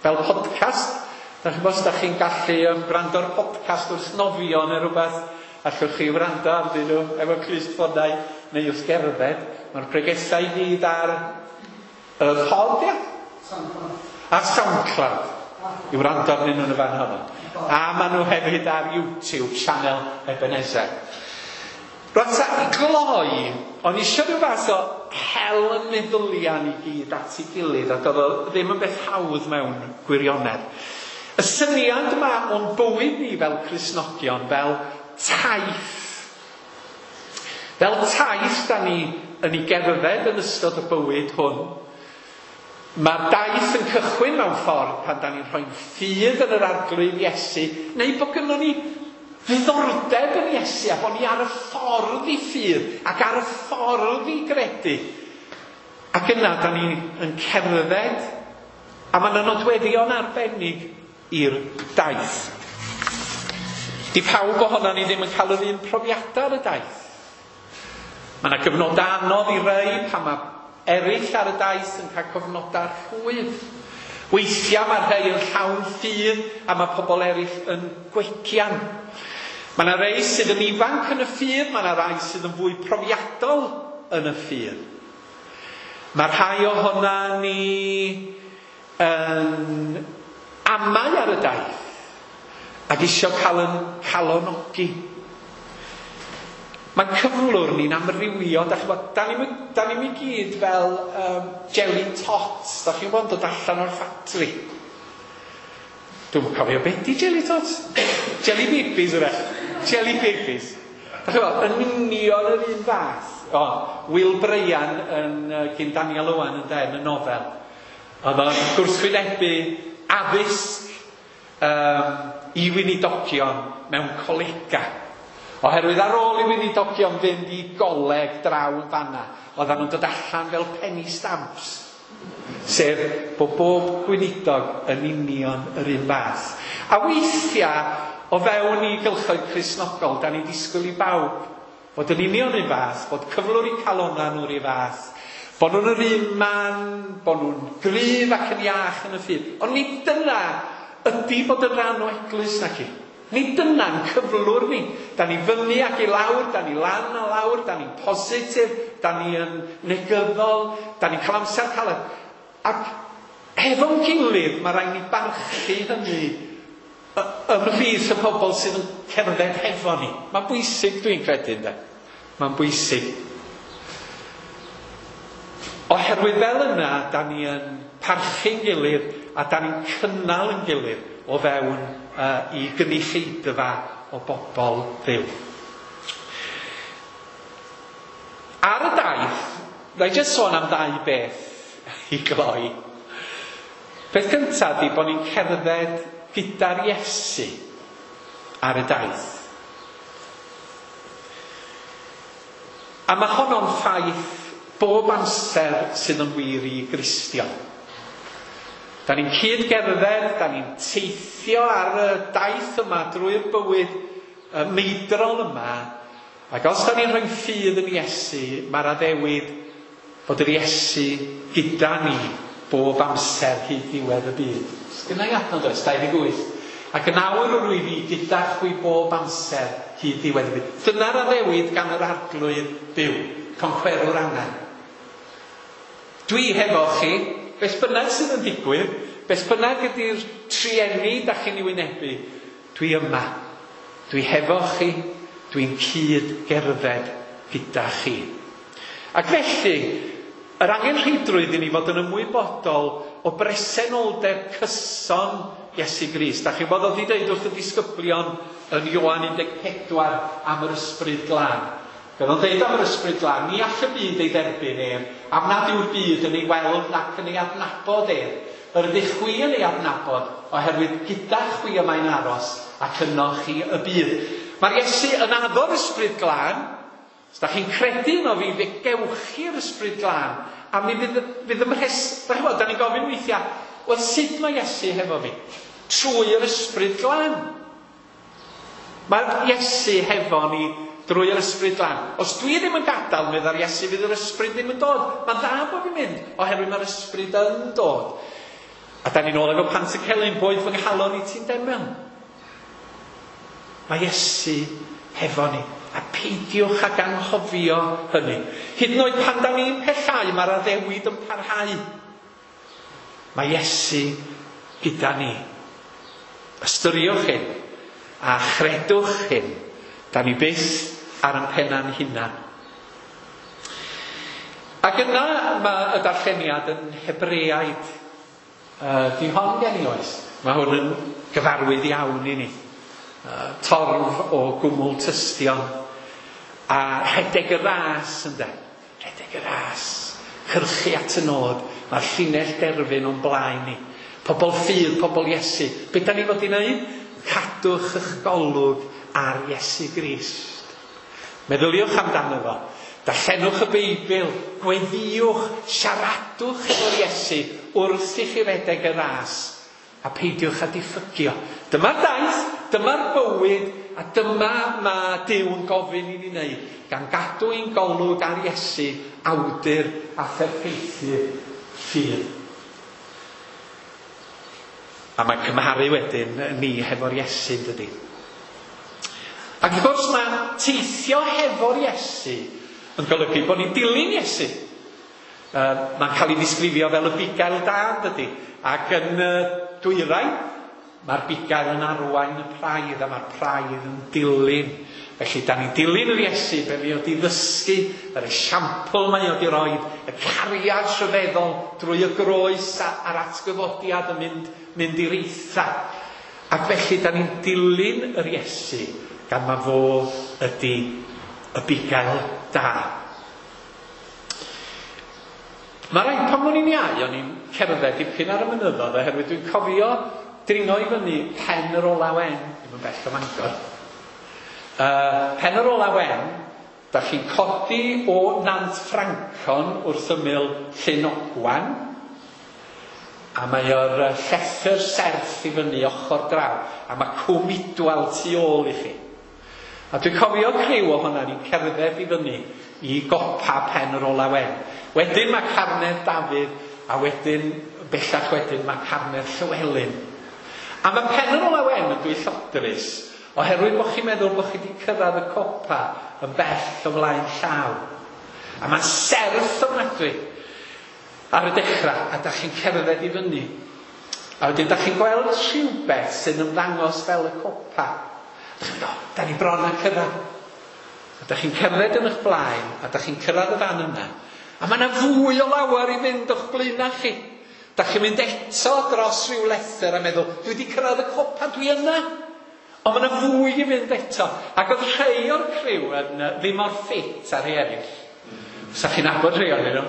fel podcast. Da chi'n bod, os da chi'n gallu um, gwrando ar podcast wrth nofio neu rhywbeth, allwch chi wrando arnyn nhw efo clustffonau neu wrth gerdded. Mae'r pregethau i gyd ar y pod, ia? SoundCloud. Ar SoundCloud. I wrando arnyn nhw yn y fan honno. A maen nhw hefyd ar YouTube channel Ebenezer. Rwan ta, i gloi, o'n i eisiau rhyw fath o hel y meddyliau ni gyd at ei gilydd, ac oedd o ddim yn beth hawdd mewn gwirionedd. Y syniad yma o'n bywyd ni fel Cristnogion, fel taith. Fel taith da ni yn ei gerdded yn ystod y bywyd hwn. Mae'r daith yn cychwyn mewn ffordd pan da ni'n rhoi'n ffydd yn yr Arglwydd Iesu, neu bod gynnon ni ddiddordeb yn Iesu a bod ni ar y ffordd i ffydd ac ar y ffordd i gredu. Ac yna da ni yn cerdded, a mae yna nodweddion arbennig i'r daith. Di pawb ohonan ni ddim yn cael yr un profiadau ar y daith. Mae yna gyfnodau anodd i rei pan mae eraill ar y daith yn cael cyfnodau rhwydd. Weithiau mae rhai yn llawn ffydd a mae pobl eraill yn gwegian. Mae yna rei sydd yn ifanc yn y ffydd, mae yna rai sydd yn fwy profiadol yn y ffydd. Mae rhai ohona ni yn amau ar y daith ac isio cael yn calonogi. Mae'n cyflwr ni'n amrywio, da chi'n bod, da ni'n da ni'm i gyd fel um, jelly tots, da chi'n bod yn dod allan o'r ffatri. Dwi'n cofio beth di jelly tots? Jelly babies yw'r. Jelly babies. Da chi'n bod, yn union yr un fath. O, Will Bryan yn uh, gyn Daniel Owen yn de, yn y nofel. Oedd o'n gwrthwynebu addysg um, i weinidogion mewn colega. Oherwydd ar ôl i weinidogion fynd i goleg draw yn fanna, oedden nhw'n dod allan fel penny stamps. Sef bod bob gweinidog yn union yr un fath. A weithiau, o fewn i gylchoedd Cristnogol, da ni'n disgwyl i bawb fod yn union un fath, bod cyflwr i calonna nhw'r un fath, bod nhw'n yr un man, bod nhw'n gryf ac yn iach yn y ffydd. Ond nid dyna ydy bod yn rhan o eglwys nac i. Nid dyna'n cyflwr ni. Da ni fyny ac i lawr, da ni lan a lawr, da ni'n positif, da ni yn negyddol, da ni'n cael amser caled. Ac efo'n gilydd, mae rhaid ni barchu hynny ymhlith y pobl sydd yn cerdded hefo ni. Mae'n bwysig, dwi'n credu, ynde. Mae'n bwysig. Oherwydd fel yna, da ni yn parchu'n gilydd a da ni'n cynnal yn gilydd o fewn uh, i gynulleidfa o bobl Dduw. Ar y daith, na i jyst sôn am ddau beth i gloi. Peth cyntaf ydy bod ni'n cerdded gyda'r Iesu ar y daith. A mae honno'n ffaith bob amser sydd yn wir i Gristion. Da ni'n cyd-gerdded, da ni'n teithio ar y daith yma drwy'r bywyd y meidrol yma. Ac os da ni'n rhoi ffydd yn Iesu, mae'r addewid bod yr Iesu gyda ni bob amser hyd ddiwedd y byd. Sgynna i adnod oes, dau ddeg wyth. Ac yn awr yr wyf i gyda chwi bob amser hyd ddiwedd y byd. Dyna'r addewid gan yr Arglwydd byw, concwerwr angau. Dwi hefo chi, beth bynnag sydd yn digwydd, beth bynnag ydy'r trueni da chi'n ei wynebu, dwi yma. Dwi hefo chi, dwi'n cyd gerdded gyda chi. Ac felly, yr angenrheidrwydd i ni fod yn ymwybodol o bresenoldeb cyson Iesu Grist. Da chi'n bod oedd i ddeud wrth y disgyblion yn Ioan un deg pedwar am yr Ysbryd Glân. Fe oedd o'n deud am yr Ysbryd Glân, ni all y byd ei dderbyn ef, am nad yw'r byd yn ei weld nac yn ei adnabod ef. Yr ydych chwi yn ei adnabod, oherwydd gyda chwi y mae'n aros, ac yno chi y bydd. Mae'r Iesu yn addo'r Ysbryd Glân. Os da chi'n credu yno fi, fe gewch chi'r Ysbryd Glân. A mi fydd, fydd ymhres... Da chi'n gwybod, da ni'n gofyn weithiau, wel, sut mae Iesu hefo fi? Trwy yr Ysbryd Glân. Mae'r Iesu hefo ni drwy yr Ysbryd Glân. Os dwi ddim yn gadael, meddai'r Iesu, fydd yr Ysbryd ddim yn dod. Mae'n dda bod fi'n mynd, oherwydd mae'r Ysbryd yn dod. A da ni'n ôl efo Pantycelyn, boed fy nghalon i ti'n demel. Mae Iesu hefo ni. A peidiwch ag anghofio hynny. Hyd yn oed pan da ni'n pellau, mae'r addewid yn parhau. Mae Iesu gyda ni. Ystyriwch hyn a chredwch hyn. Da ni byth ar ein penna'n hunan. Ac yna mae y darlleniad yn Hebreaid. Uh, di hon gen i oes. Mae hwn yn gyfarwydd iawn i ni. Uh, torf o gwmwl tystion. A rhedeg y ras, ynde. Rhedeg y ras. Cyrchu at y nod. Mae'r llinell derfyn o'n blaen ni. Pobl ffydd, pobl Iesu. Be da ni fod i wneud? Cadwch eich golwg ar Iesu Grist. Meddyliwch amdano fo. Darllenwch y Beibl, gweddïwch, siaradwch efo'r Iesu wrth i chi redeg y ras, a peidiwch â diffygio. Dyma'r daith, dyma'r bywyd, a dyma mae Duw yn gofyn i ni wneud, gan gadw ein golwg ar Iesu, awdur a pherffeithydd ffydd. A mae'n cymharu wedyn ni hefo'r Iesu, dydy. Ac wrth gwrs mae teithio hefo'r Iesu yn golygu bod ni'n dilyn Iesu. Uh, mae'n cael ei ddisgrifio fel y bugail da, dydy. Ac yn uh, dwyrain, mae'r bugail yn arwain y praidd, a mae'r praidd yn dilyn. Felly, da ni'n dilyn yr Iesu, be mae o di ddysgu, yr esiampl mae o di roed, y cariad rhyfeddol drwy y groes a'r atgyfodiad yn mynd, mynd i'r eitha. Ac felly, da ni'n dilyn yr Iesu, gan ma fo ydy y bugail da. Mae rhaid pan o'n i'n iau, o'n i'n cerdded dipyn ar y mynyddoedd, oherwydd dwi'n cofio dringo i fyny Pen yr Ola Wen, ddim yn bell o Fangor. Uh, Pen yr Ola Wen, da chi'n codi o Nant Ffrancon wrth ymyl Llyn Ogwan, a mae o'r llethr serth i fyny ochr draw, a mae Cwm Idwal tu ôl i chi. A dwi'n cofio criw o hwnna, ni'n cerdded i fyny i gopa Pen yr Ola Wen. Wedyn mae Carnedd Dafydd, a wedyn, bellach wedyn, mae Carnedd Llywelyn. A mae Pen yr Ola Wen yn dwyllodrus, oherwydd bod chi'n meddwl bod chi wedi cyrraedd y copa yn bell o flaen llaw. A mae'n serth ofnadwy ar y dechrau, a da chi'n cerdded i fyny. A wedyn da chi'n gweld rhywbeth sy'n ymddangos fel y copa. Da chi'n meddwl, da ni bron â cyrraedd. A da chi'n cerdded yn eich blaen, a da chi'n cyrraedd y fan yna. A mae yna fwy o lawer i fynd o'ch blaenau chi. Da chi'n mynd eto dros rhyw lethr a meddwl, dwi wedi cyrraedd y copa, dwi yna. Ond mae yna fwy i fynd eto. Ac oedd rhai o'r criw yn ddim mor ffit ar rhai eraill. Sa chi'n nabod rhai ohonyn nhw.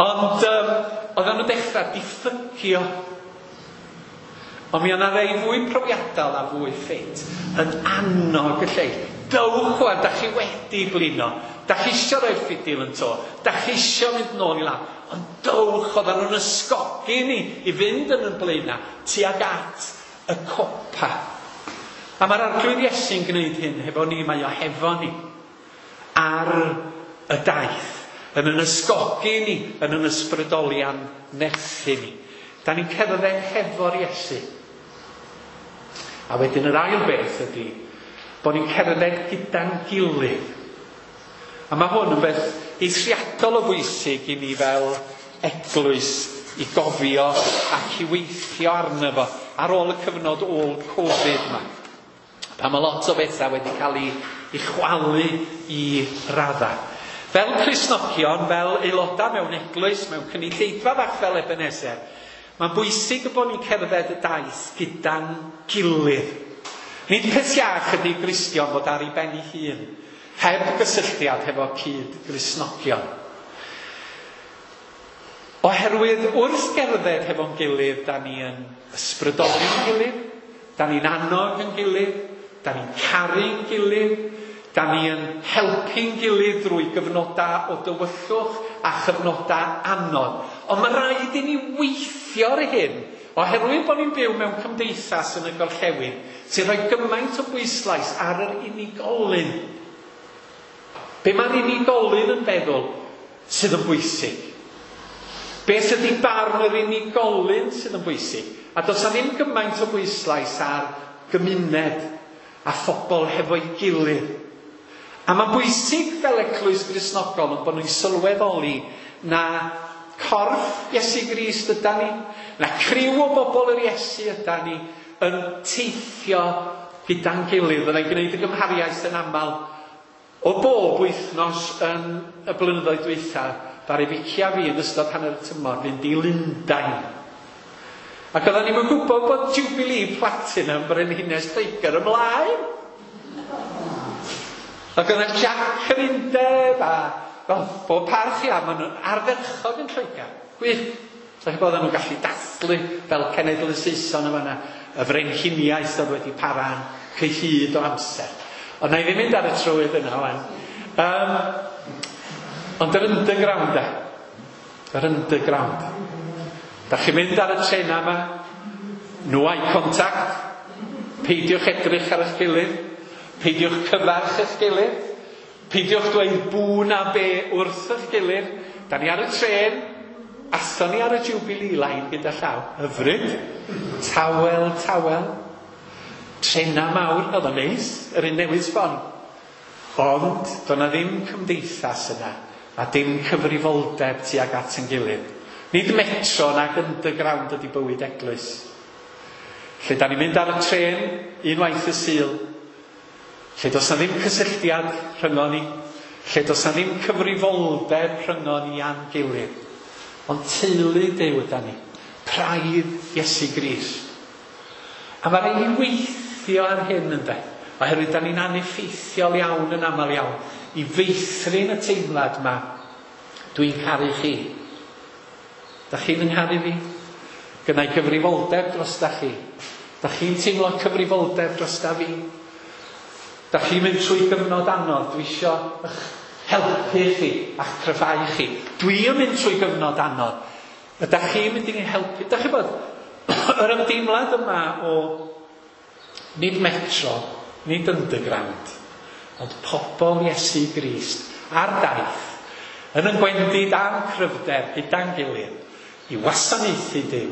Ond um, oedden nhw'n dechrau diffygio. Ond mi o'na rei fwy profiadol a fwy ffit yn annog y lleill. Dowch wan, da chi wedi blino. Da chi isio roi'r ffidil yn to. Da chi isio mynd nôl i lawr. Ond dowch, oedden nhw'n ysgogi ni i fynd yn y blaenau tuag at y copa. A mae'r Arglwydd Iesu'n gwneud hyn hefo ni, mae o hefo ni ar y daith, yn yn ysgogi ni, yn yn ysbrydoli a'n nerthu ni. Da ni'n cerdded hefo'r Iesu. A wedyn yr ail beth ydy bod ni'n cerdded gyda'n gilydd. A mae hwn yn beth eithriadol o bwysig i ni fel eglwys i gofio ac i weithio arno fo ar ôl y cyfnod ôl Covid yma. Pan mae lot o bethau wedi cael ei, ei chwalu i raddau. Fel Cristnogion, fel aelodau mewn eglwys, mewn cynulleidfa fach fel Ebenezer, mae'n bwysig bod ni'n cerdded y daith gyda'n gilydd. Nid peth iach ydy Gristion fod ar ei ben ei hun, heb gysylltiad hefo cyd-Gristnogion. Oherwydd wrth gerdded hefo'n gilydd, da ni yn ysbrydoli'n gilydd, da ni'n annog yn gilydd, da ni'n caru'n gilydd, da ni yn helpu'n gilydd drwy gyfnodau o dywyllwch a chyfnodau anodd. Ond mae rhaid i ni weithio ar hyn, oherwydd bod ni'n byw mewn cymdeithas yn y gorllewin sy'n rhoi gymaint o bwyslais ar yr unigolyn. Be mae'r unigolyn yn feddwl sydd yn bwysig? Beth ydy barn yr unigolyn sydd yn bwysig? A does na ddim gymaint o bwyslais ar gymuned a phobl hefo'i gilydd. A mae'n bwysig fel eglwys Gristnogol yn bod nhw'n sylweddoli na corff Iesu Grist yda ni, na criw o bobl yr Iesu yda ni yn teithio gyda'n gilydd. Fyddai'n gwneud y gymhariaeth yn aml o bob wythnos yn y blynyddoedd dwytha, ddaru Vicky a fi yn ystod hanner y tymor fynd i Lundain. Ac oedden ni'n gwybod bod Jubilee Platinum Brenhines Lloegr ymlaen. Ac oedd Jack yr Undeb a well, bob parch ia, maen nhw'n ardderchog yn Lloegr. Gwych. So chi bod nhw'n gallu dathlu fel cenedl y Saeson yma yna, y frenhiniaeth oedd wedi para'n cyhyd o amser. Ond na i ddim mynd ar y trywydd yna wan. Um, ond yr underground e. Yr underground. Da chi'n mynd ar y trena yma, no eye contact, peidiwch edrych ar eich gilydd, peidiwch cyfarch eich gilydd, peidiwch dweud bw na be wrth eich gilydd. Da ni ar y tren, athon ni ar y Jubilee Line gyda llaw. Hyfryd. Tawel, tawel. Trena mawr, oedd o'n neis, yr un newydd sbon. Ond, doedd na ddim cymdeithas yna, a dim cyfrifoldeb tuag at yn gilydd. Nid metro nag underground ydy bywyd eglwys. Lle da ni'n mynd ar y tren unwaith y Sul, lle does na ddim cysylltiad rhyngon ni, lle does na ddim cyfrifoldeb rhyngon ni a'n gilydd. Ond teulu Duw yda ni, praidd Iesu Grist. A mae rhaid i weithio ar hyn ynde, oherwydd da ni'n aneffeithiol iawn yn aml iawn i feithrin y teimlad yma, dwi'n caru chi. Da chi'n yngharu fi? Gynna i gyfrifoldeb dros da chi. Da chi'n teimlo cyfrifoldeb dros da fi? Da chi'n mynd trwy gyfnod anodd, dwi isio eich helpu chi a'ch cryfhau chi. Dwi yn mynd trwy gyfnod anodd. Ydych chi'n mynd i'n helpu? Da chi bod yr ymdeimlad yma o nid metro, nid underground, ond pobl Iesu Grist ar daith, yn yn gwendid a'n cryfder gyda'n gilydd, i wasanaethu Duw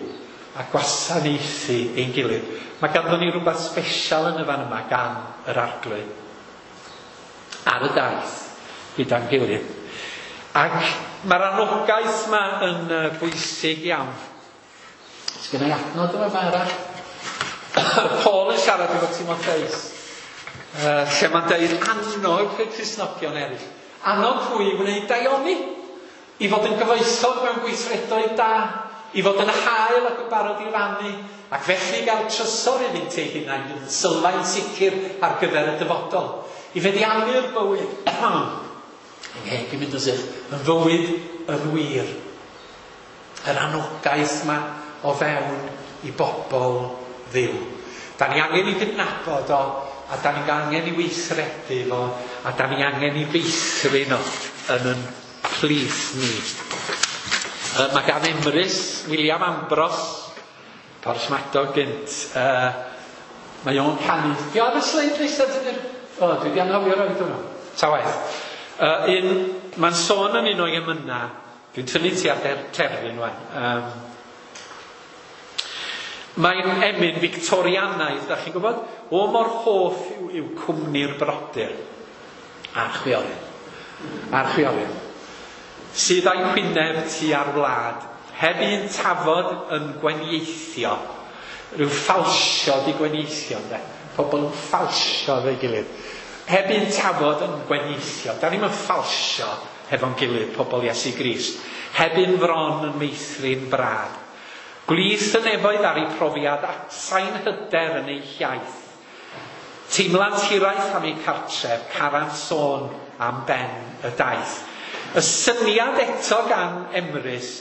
a gwasanaethu ein gilydd. Mae ganddo ni rhywbeth special yn y fan yma gan yr Arglwydd ar y daith gyda'n gilydd. Ac mae'r anogaeth yma yn bwysig iawn. Sgynna i adnod yma yma arall. Paul yn siarad efo Timotheus. Uh, lle mae'n deud annog y Cristnogion eraill. Annog hwy i wneud daioni, i fod yn gyfoethog mewn gweithredoedd da, i fod yn hael ac yn barod i rannu, ac felly gael trysor iddynt eu hunain yn sylfaen sicr ar gyfer y dyfodol. I feddiannu'r bywyd, ngheg i mynd yn sych, yn fywyd yn wir. Yr anogaeth yma o fewn i bobl Dduw. Da ni angen i gydnabod o, a da ni angen i weithredu fo, a da ni angen i feithrin o yn yn plith ni. Uh, mae gan Emrys, William Ambrose, Porthmadog gynt, uh, mae o'n canu. Di o ar y sleid nesaf dydy'r... O, dwi wedi anghofio roed hwnnw. Ta waeth. Uh, un, mae'n sôn yn un o'i emynau. Dwi'n tynnu ti ar terfyn wan. Um, mae'n emyn Victorianaidd, da chi'n gwybod? O mor hoff yw, yw cwmni'r brodyr a'r chwiorydd. A'r chwiorydd. Sydd a'i hwyneb tu ar wlad, heb un tafod yn gwenieithio. Rhyw ffalsio di gwenieithio, ynde? Pobl yn ffalsio efo'i gilydd. Heb un tafod yn gwenieithio. Da ni'm yn ffalsio hefo'n gilydd, pobl Iesu Grist. Heb un fron yn meithrin brad. Gwlith y nefoedd ar ei profiad, atsain hyder yn ei hiaith. Teimlant hiraeth am ei cartref, carant sôn am ben y daith. Y syniad eto gan Emrys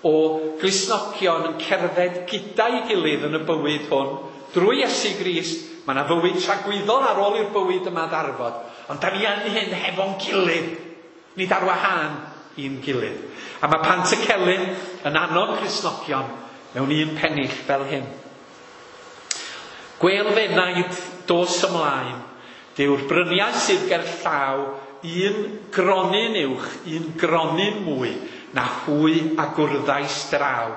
o Gristnogion yn cerdded gyda'i gilydd yn y bywyd hwn, drwy Iesu Grist, mae yna fywyd tragwyddol ar ôl i'r bywyd yma ddarfod. Ond da ni yn hyn hefo'n gilydd, nid ar wahân i'n gilydd. A mae Pantycelyn yn annog Cristnogion mewn un pennill fel hyn. Gwel fenaid dos ymlaen, dyw'r bryniau sydd ger llaw, un gronyn uwch, un gronyn mwy, na hwy a gwrddais draw.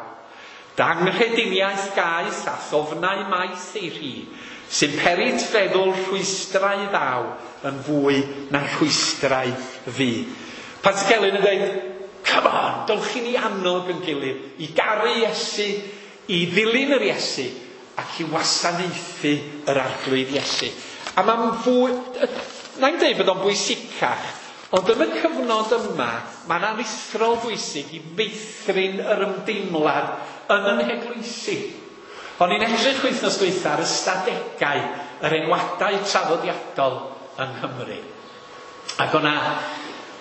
Danghrediniaeth gaeth a thofnau maith ei rhi, sy'n perit feddwl rhwystrau ddaw yn fwy na rhwystrau fi. Pantycelyn yn dweud, come on, dowch i ni annog yn gilydd, i garu Iesu, i ddilyn yr Iesu, ac i wasanaethu yr Arglwydd Iesu. A mae'n fwy, na'n dweud bod o'n bwysicach, ond yn y cyfnod yma, mae'n aruthrol bwysig i meithrin yr ymdeimlad yn yn heglwysi. O'n i'n edrych wythnos dwytha ar ystadegau yr enwadau traddodiadol yng Nghymru. Ac o'na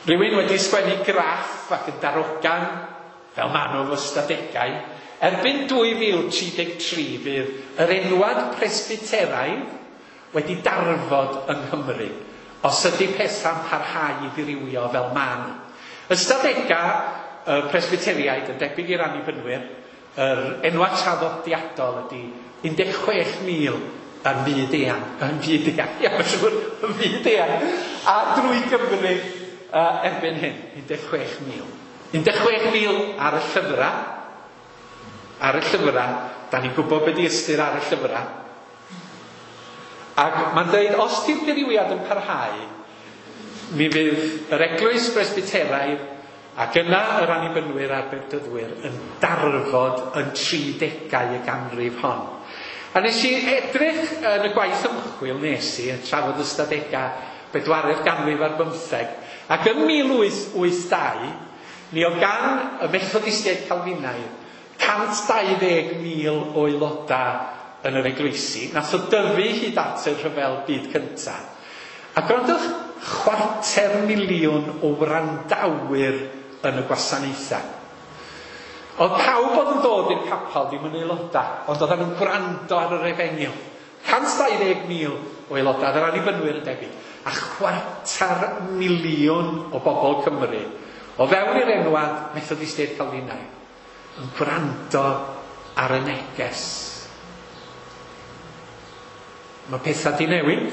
rhywun wedi sgwennu graff ac yn darogan, fel maen nhw efo ystadegau, erbyn dwy fil tri deg tri fydd yr enwad presbyteraidd wedi darfod yng Nghymru, os ydy pethau'n parhau i ddirywio fel maen nhw. Ystadegau y presbyteriaid yn debyg i'r annibynwyr, yr enwad traddodiadol ydy un deg chwech mil yn fyd eang, yn fyd eang, ia, mae'n siŵr, yn fyd eang, a drwy Gymru uh, erbyn hyn, un deg chwech mil. un deg chwech mil ar y llyfrau, ar y llyfrau, da ni'n gwybod beth di ystyr ar y llyfrau. Ac mae'n dweud, os di'r dirywiad yn parhau, mi fydd yr eglwys presbyteraidd ac yna yr annibynwyr a'r bedyddwyr yn darfod yn tridegau y ganrif hon. A nes i edrych yn y gwaith ymchwil nes i, yn trafod ystadegau bedwaredd ganrif ar bymtheg, ac yn mil wyth wyth dau, mi oedd gan y Methodistiaid Calfinaidd cant dau ddeg mil o aelodau yn yr eglwysi, nath o dyfu hyd at y rhyfel byd cyntaf. A gwrandwch, chwarter miliwn o wrandawyr yn y gwasanaethau. Oedd pawb oedd yn dod i'r capel ddim yn aelodau, ond oedden nhw'n gwrando ar yr efengyl. cant dau ddeg mil o aelodau, yr annibynwyr yn debyg, a chwarter miliwn o bobl Cymru, o fewn i'r enwad Methodistiaid Calfinaidd, yn gwrando ar y neges. Mae pethau di newid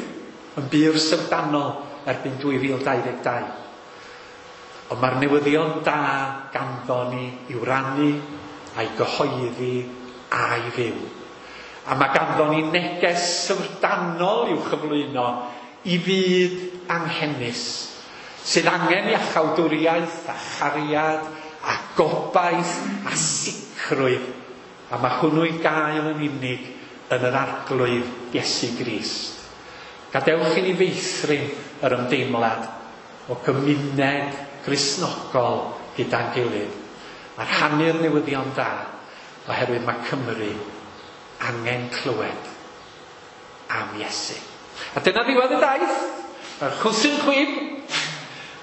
yn bur syfrdanol erbyn dwy fil dau ddeg dau. Ond mae'r newyddion da ganddo ni i'w rannu a'i gyhoeddi a'i fyw. A mae ganddo ni neges syfrdanol i'w chyflwyno i fyd anghenus, sydd angen iachawdwriaeth a chariad a gobaith a sicrwydd. A mae hwnnw i gael yn unig yn yr Arglwydd Iesu Grist. Gadewch i ni feithrin yr ymdeimlad o gymuned Gristnogol gyda'n gilydd a rhannu'r newyddion da, oherwydd mae Cymru angen clywed am Iesu. A dyna ddiwedd y daith. Mae'r chwsyn chwib,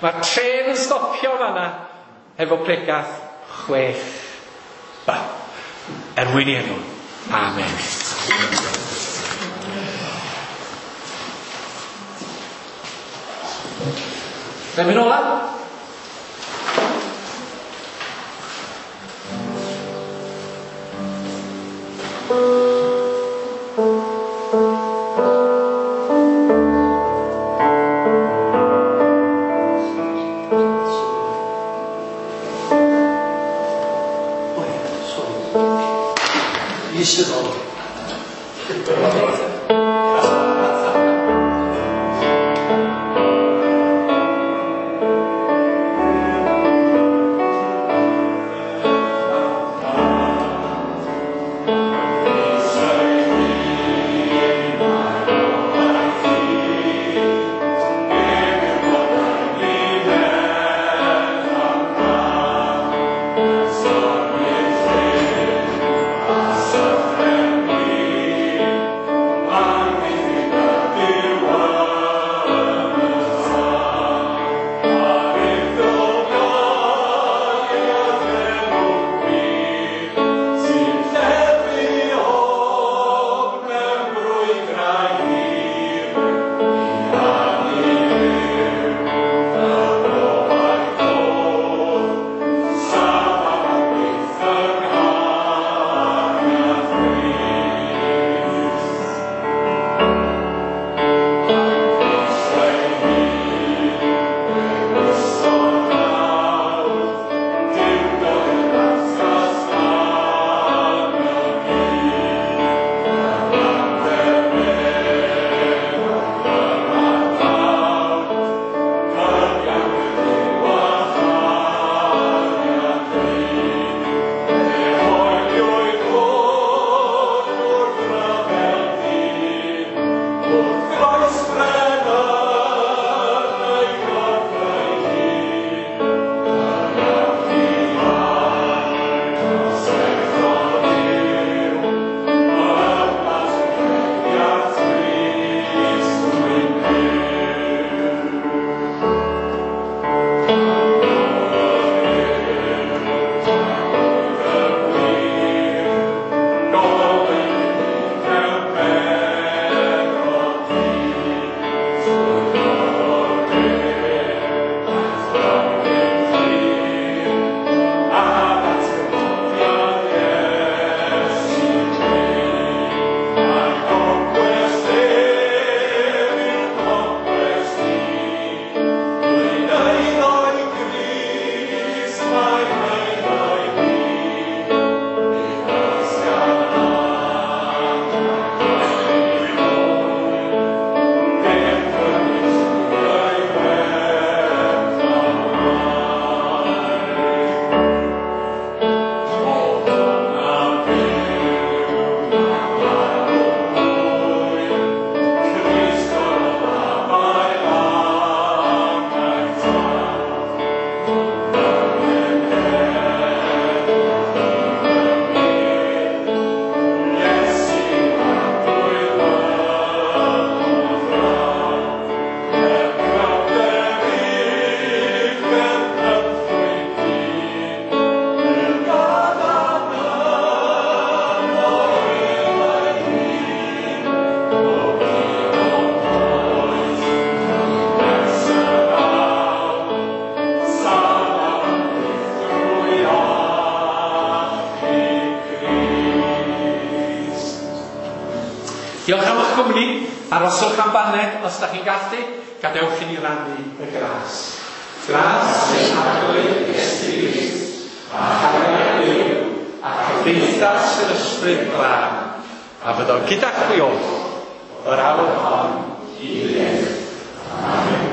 mae'r trên yn stopio fanna efo pregath chwech B. Er mwyn i enw. Amen. Remyn ola. Diolch am eich cwmni. Aroswch am baned os da chi'n gallu. Gadewch i ni rannu y gras. Gras ein Arglwydd Iesu Grist, a chariad Duw, a chymdeithas yr Ysbryd Glân, a fyddo gyda chwi oll, yr awr hon i byth. Amen.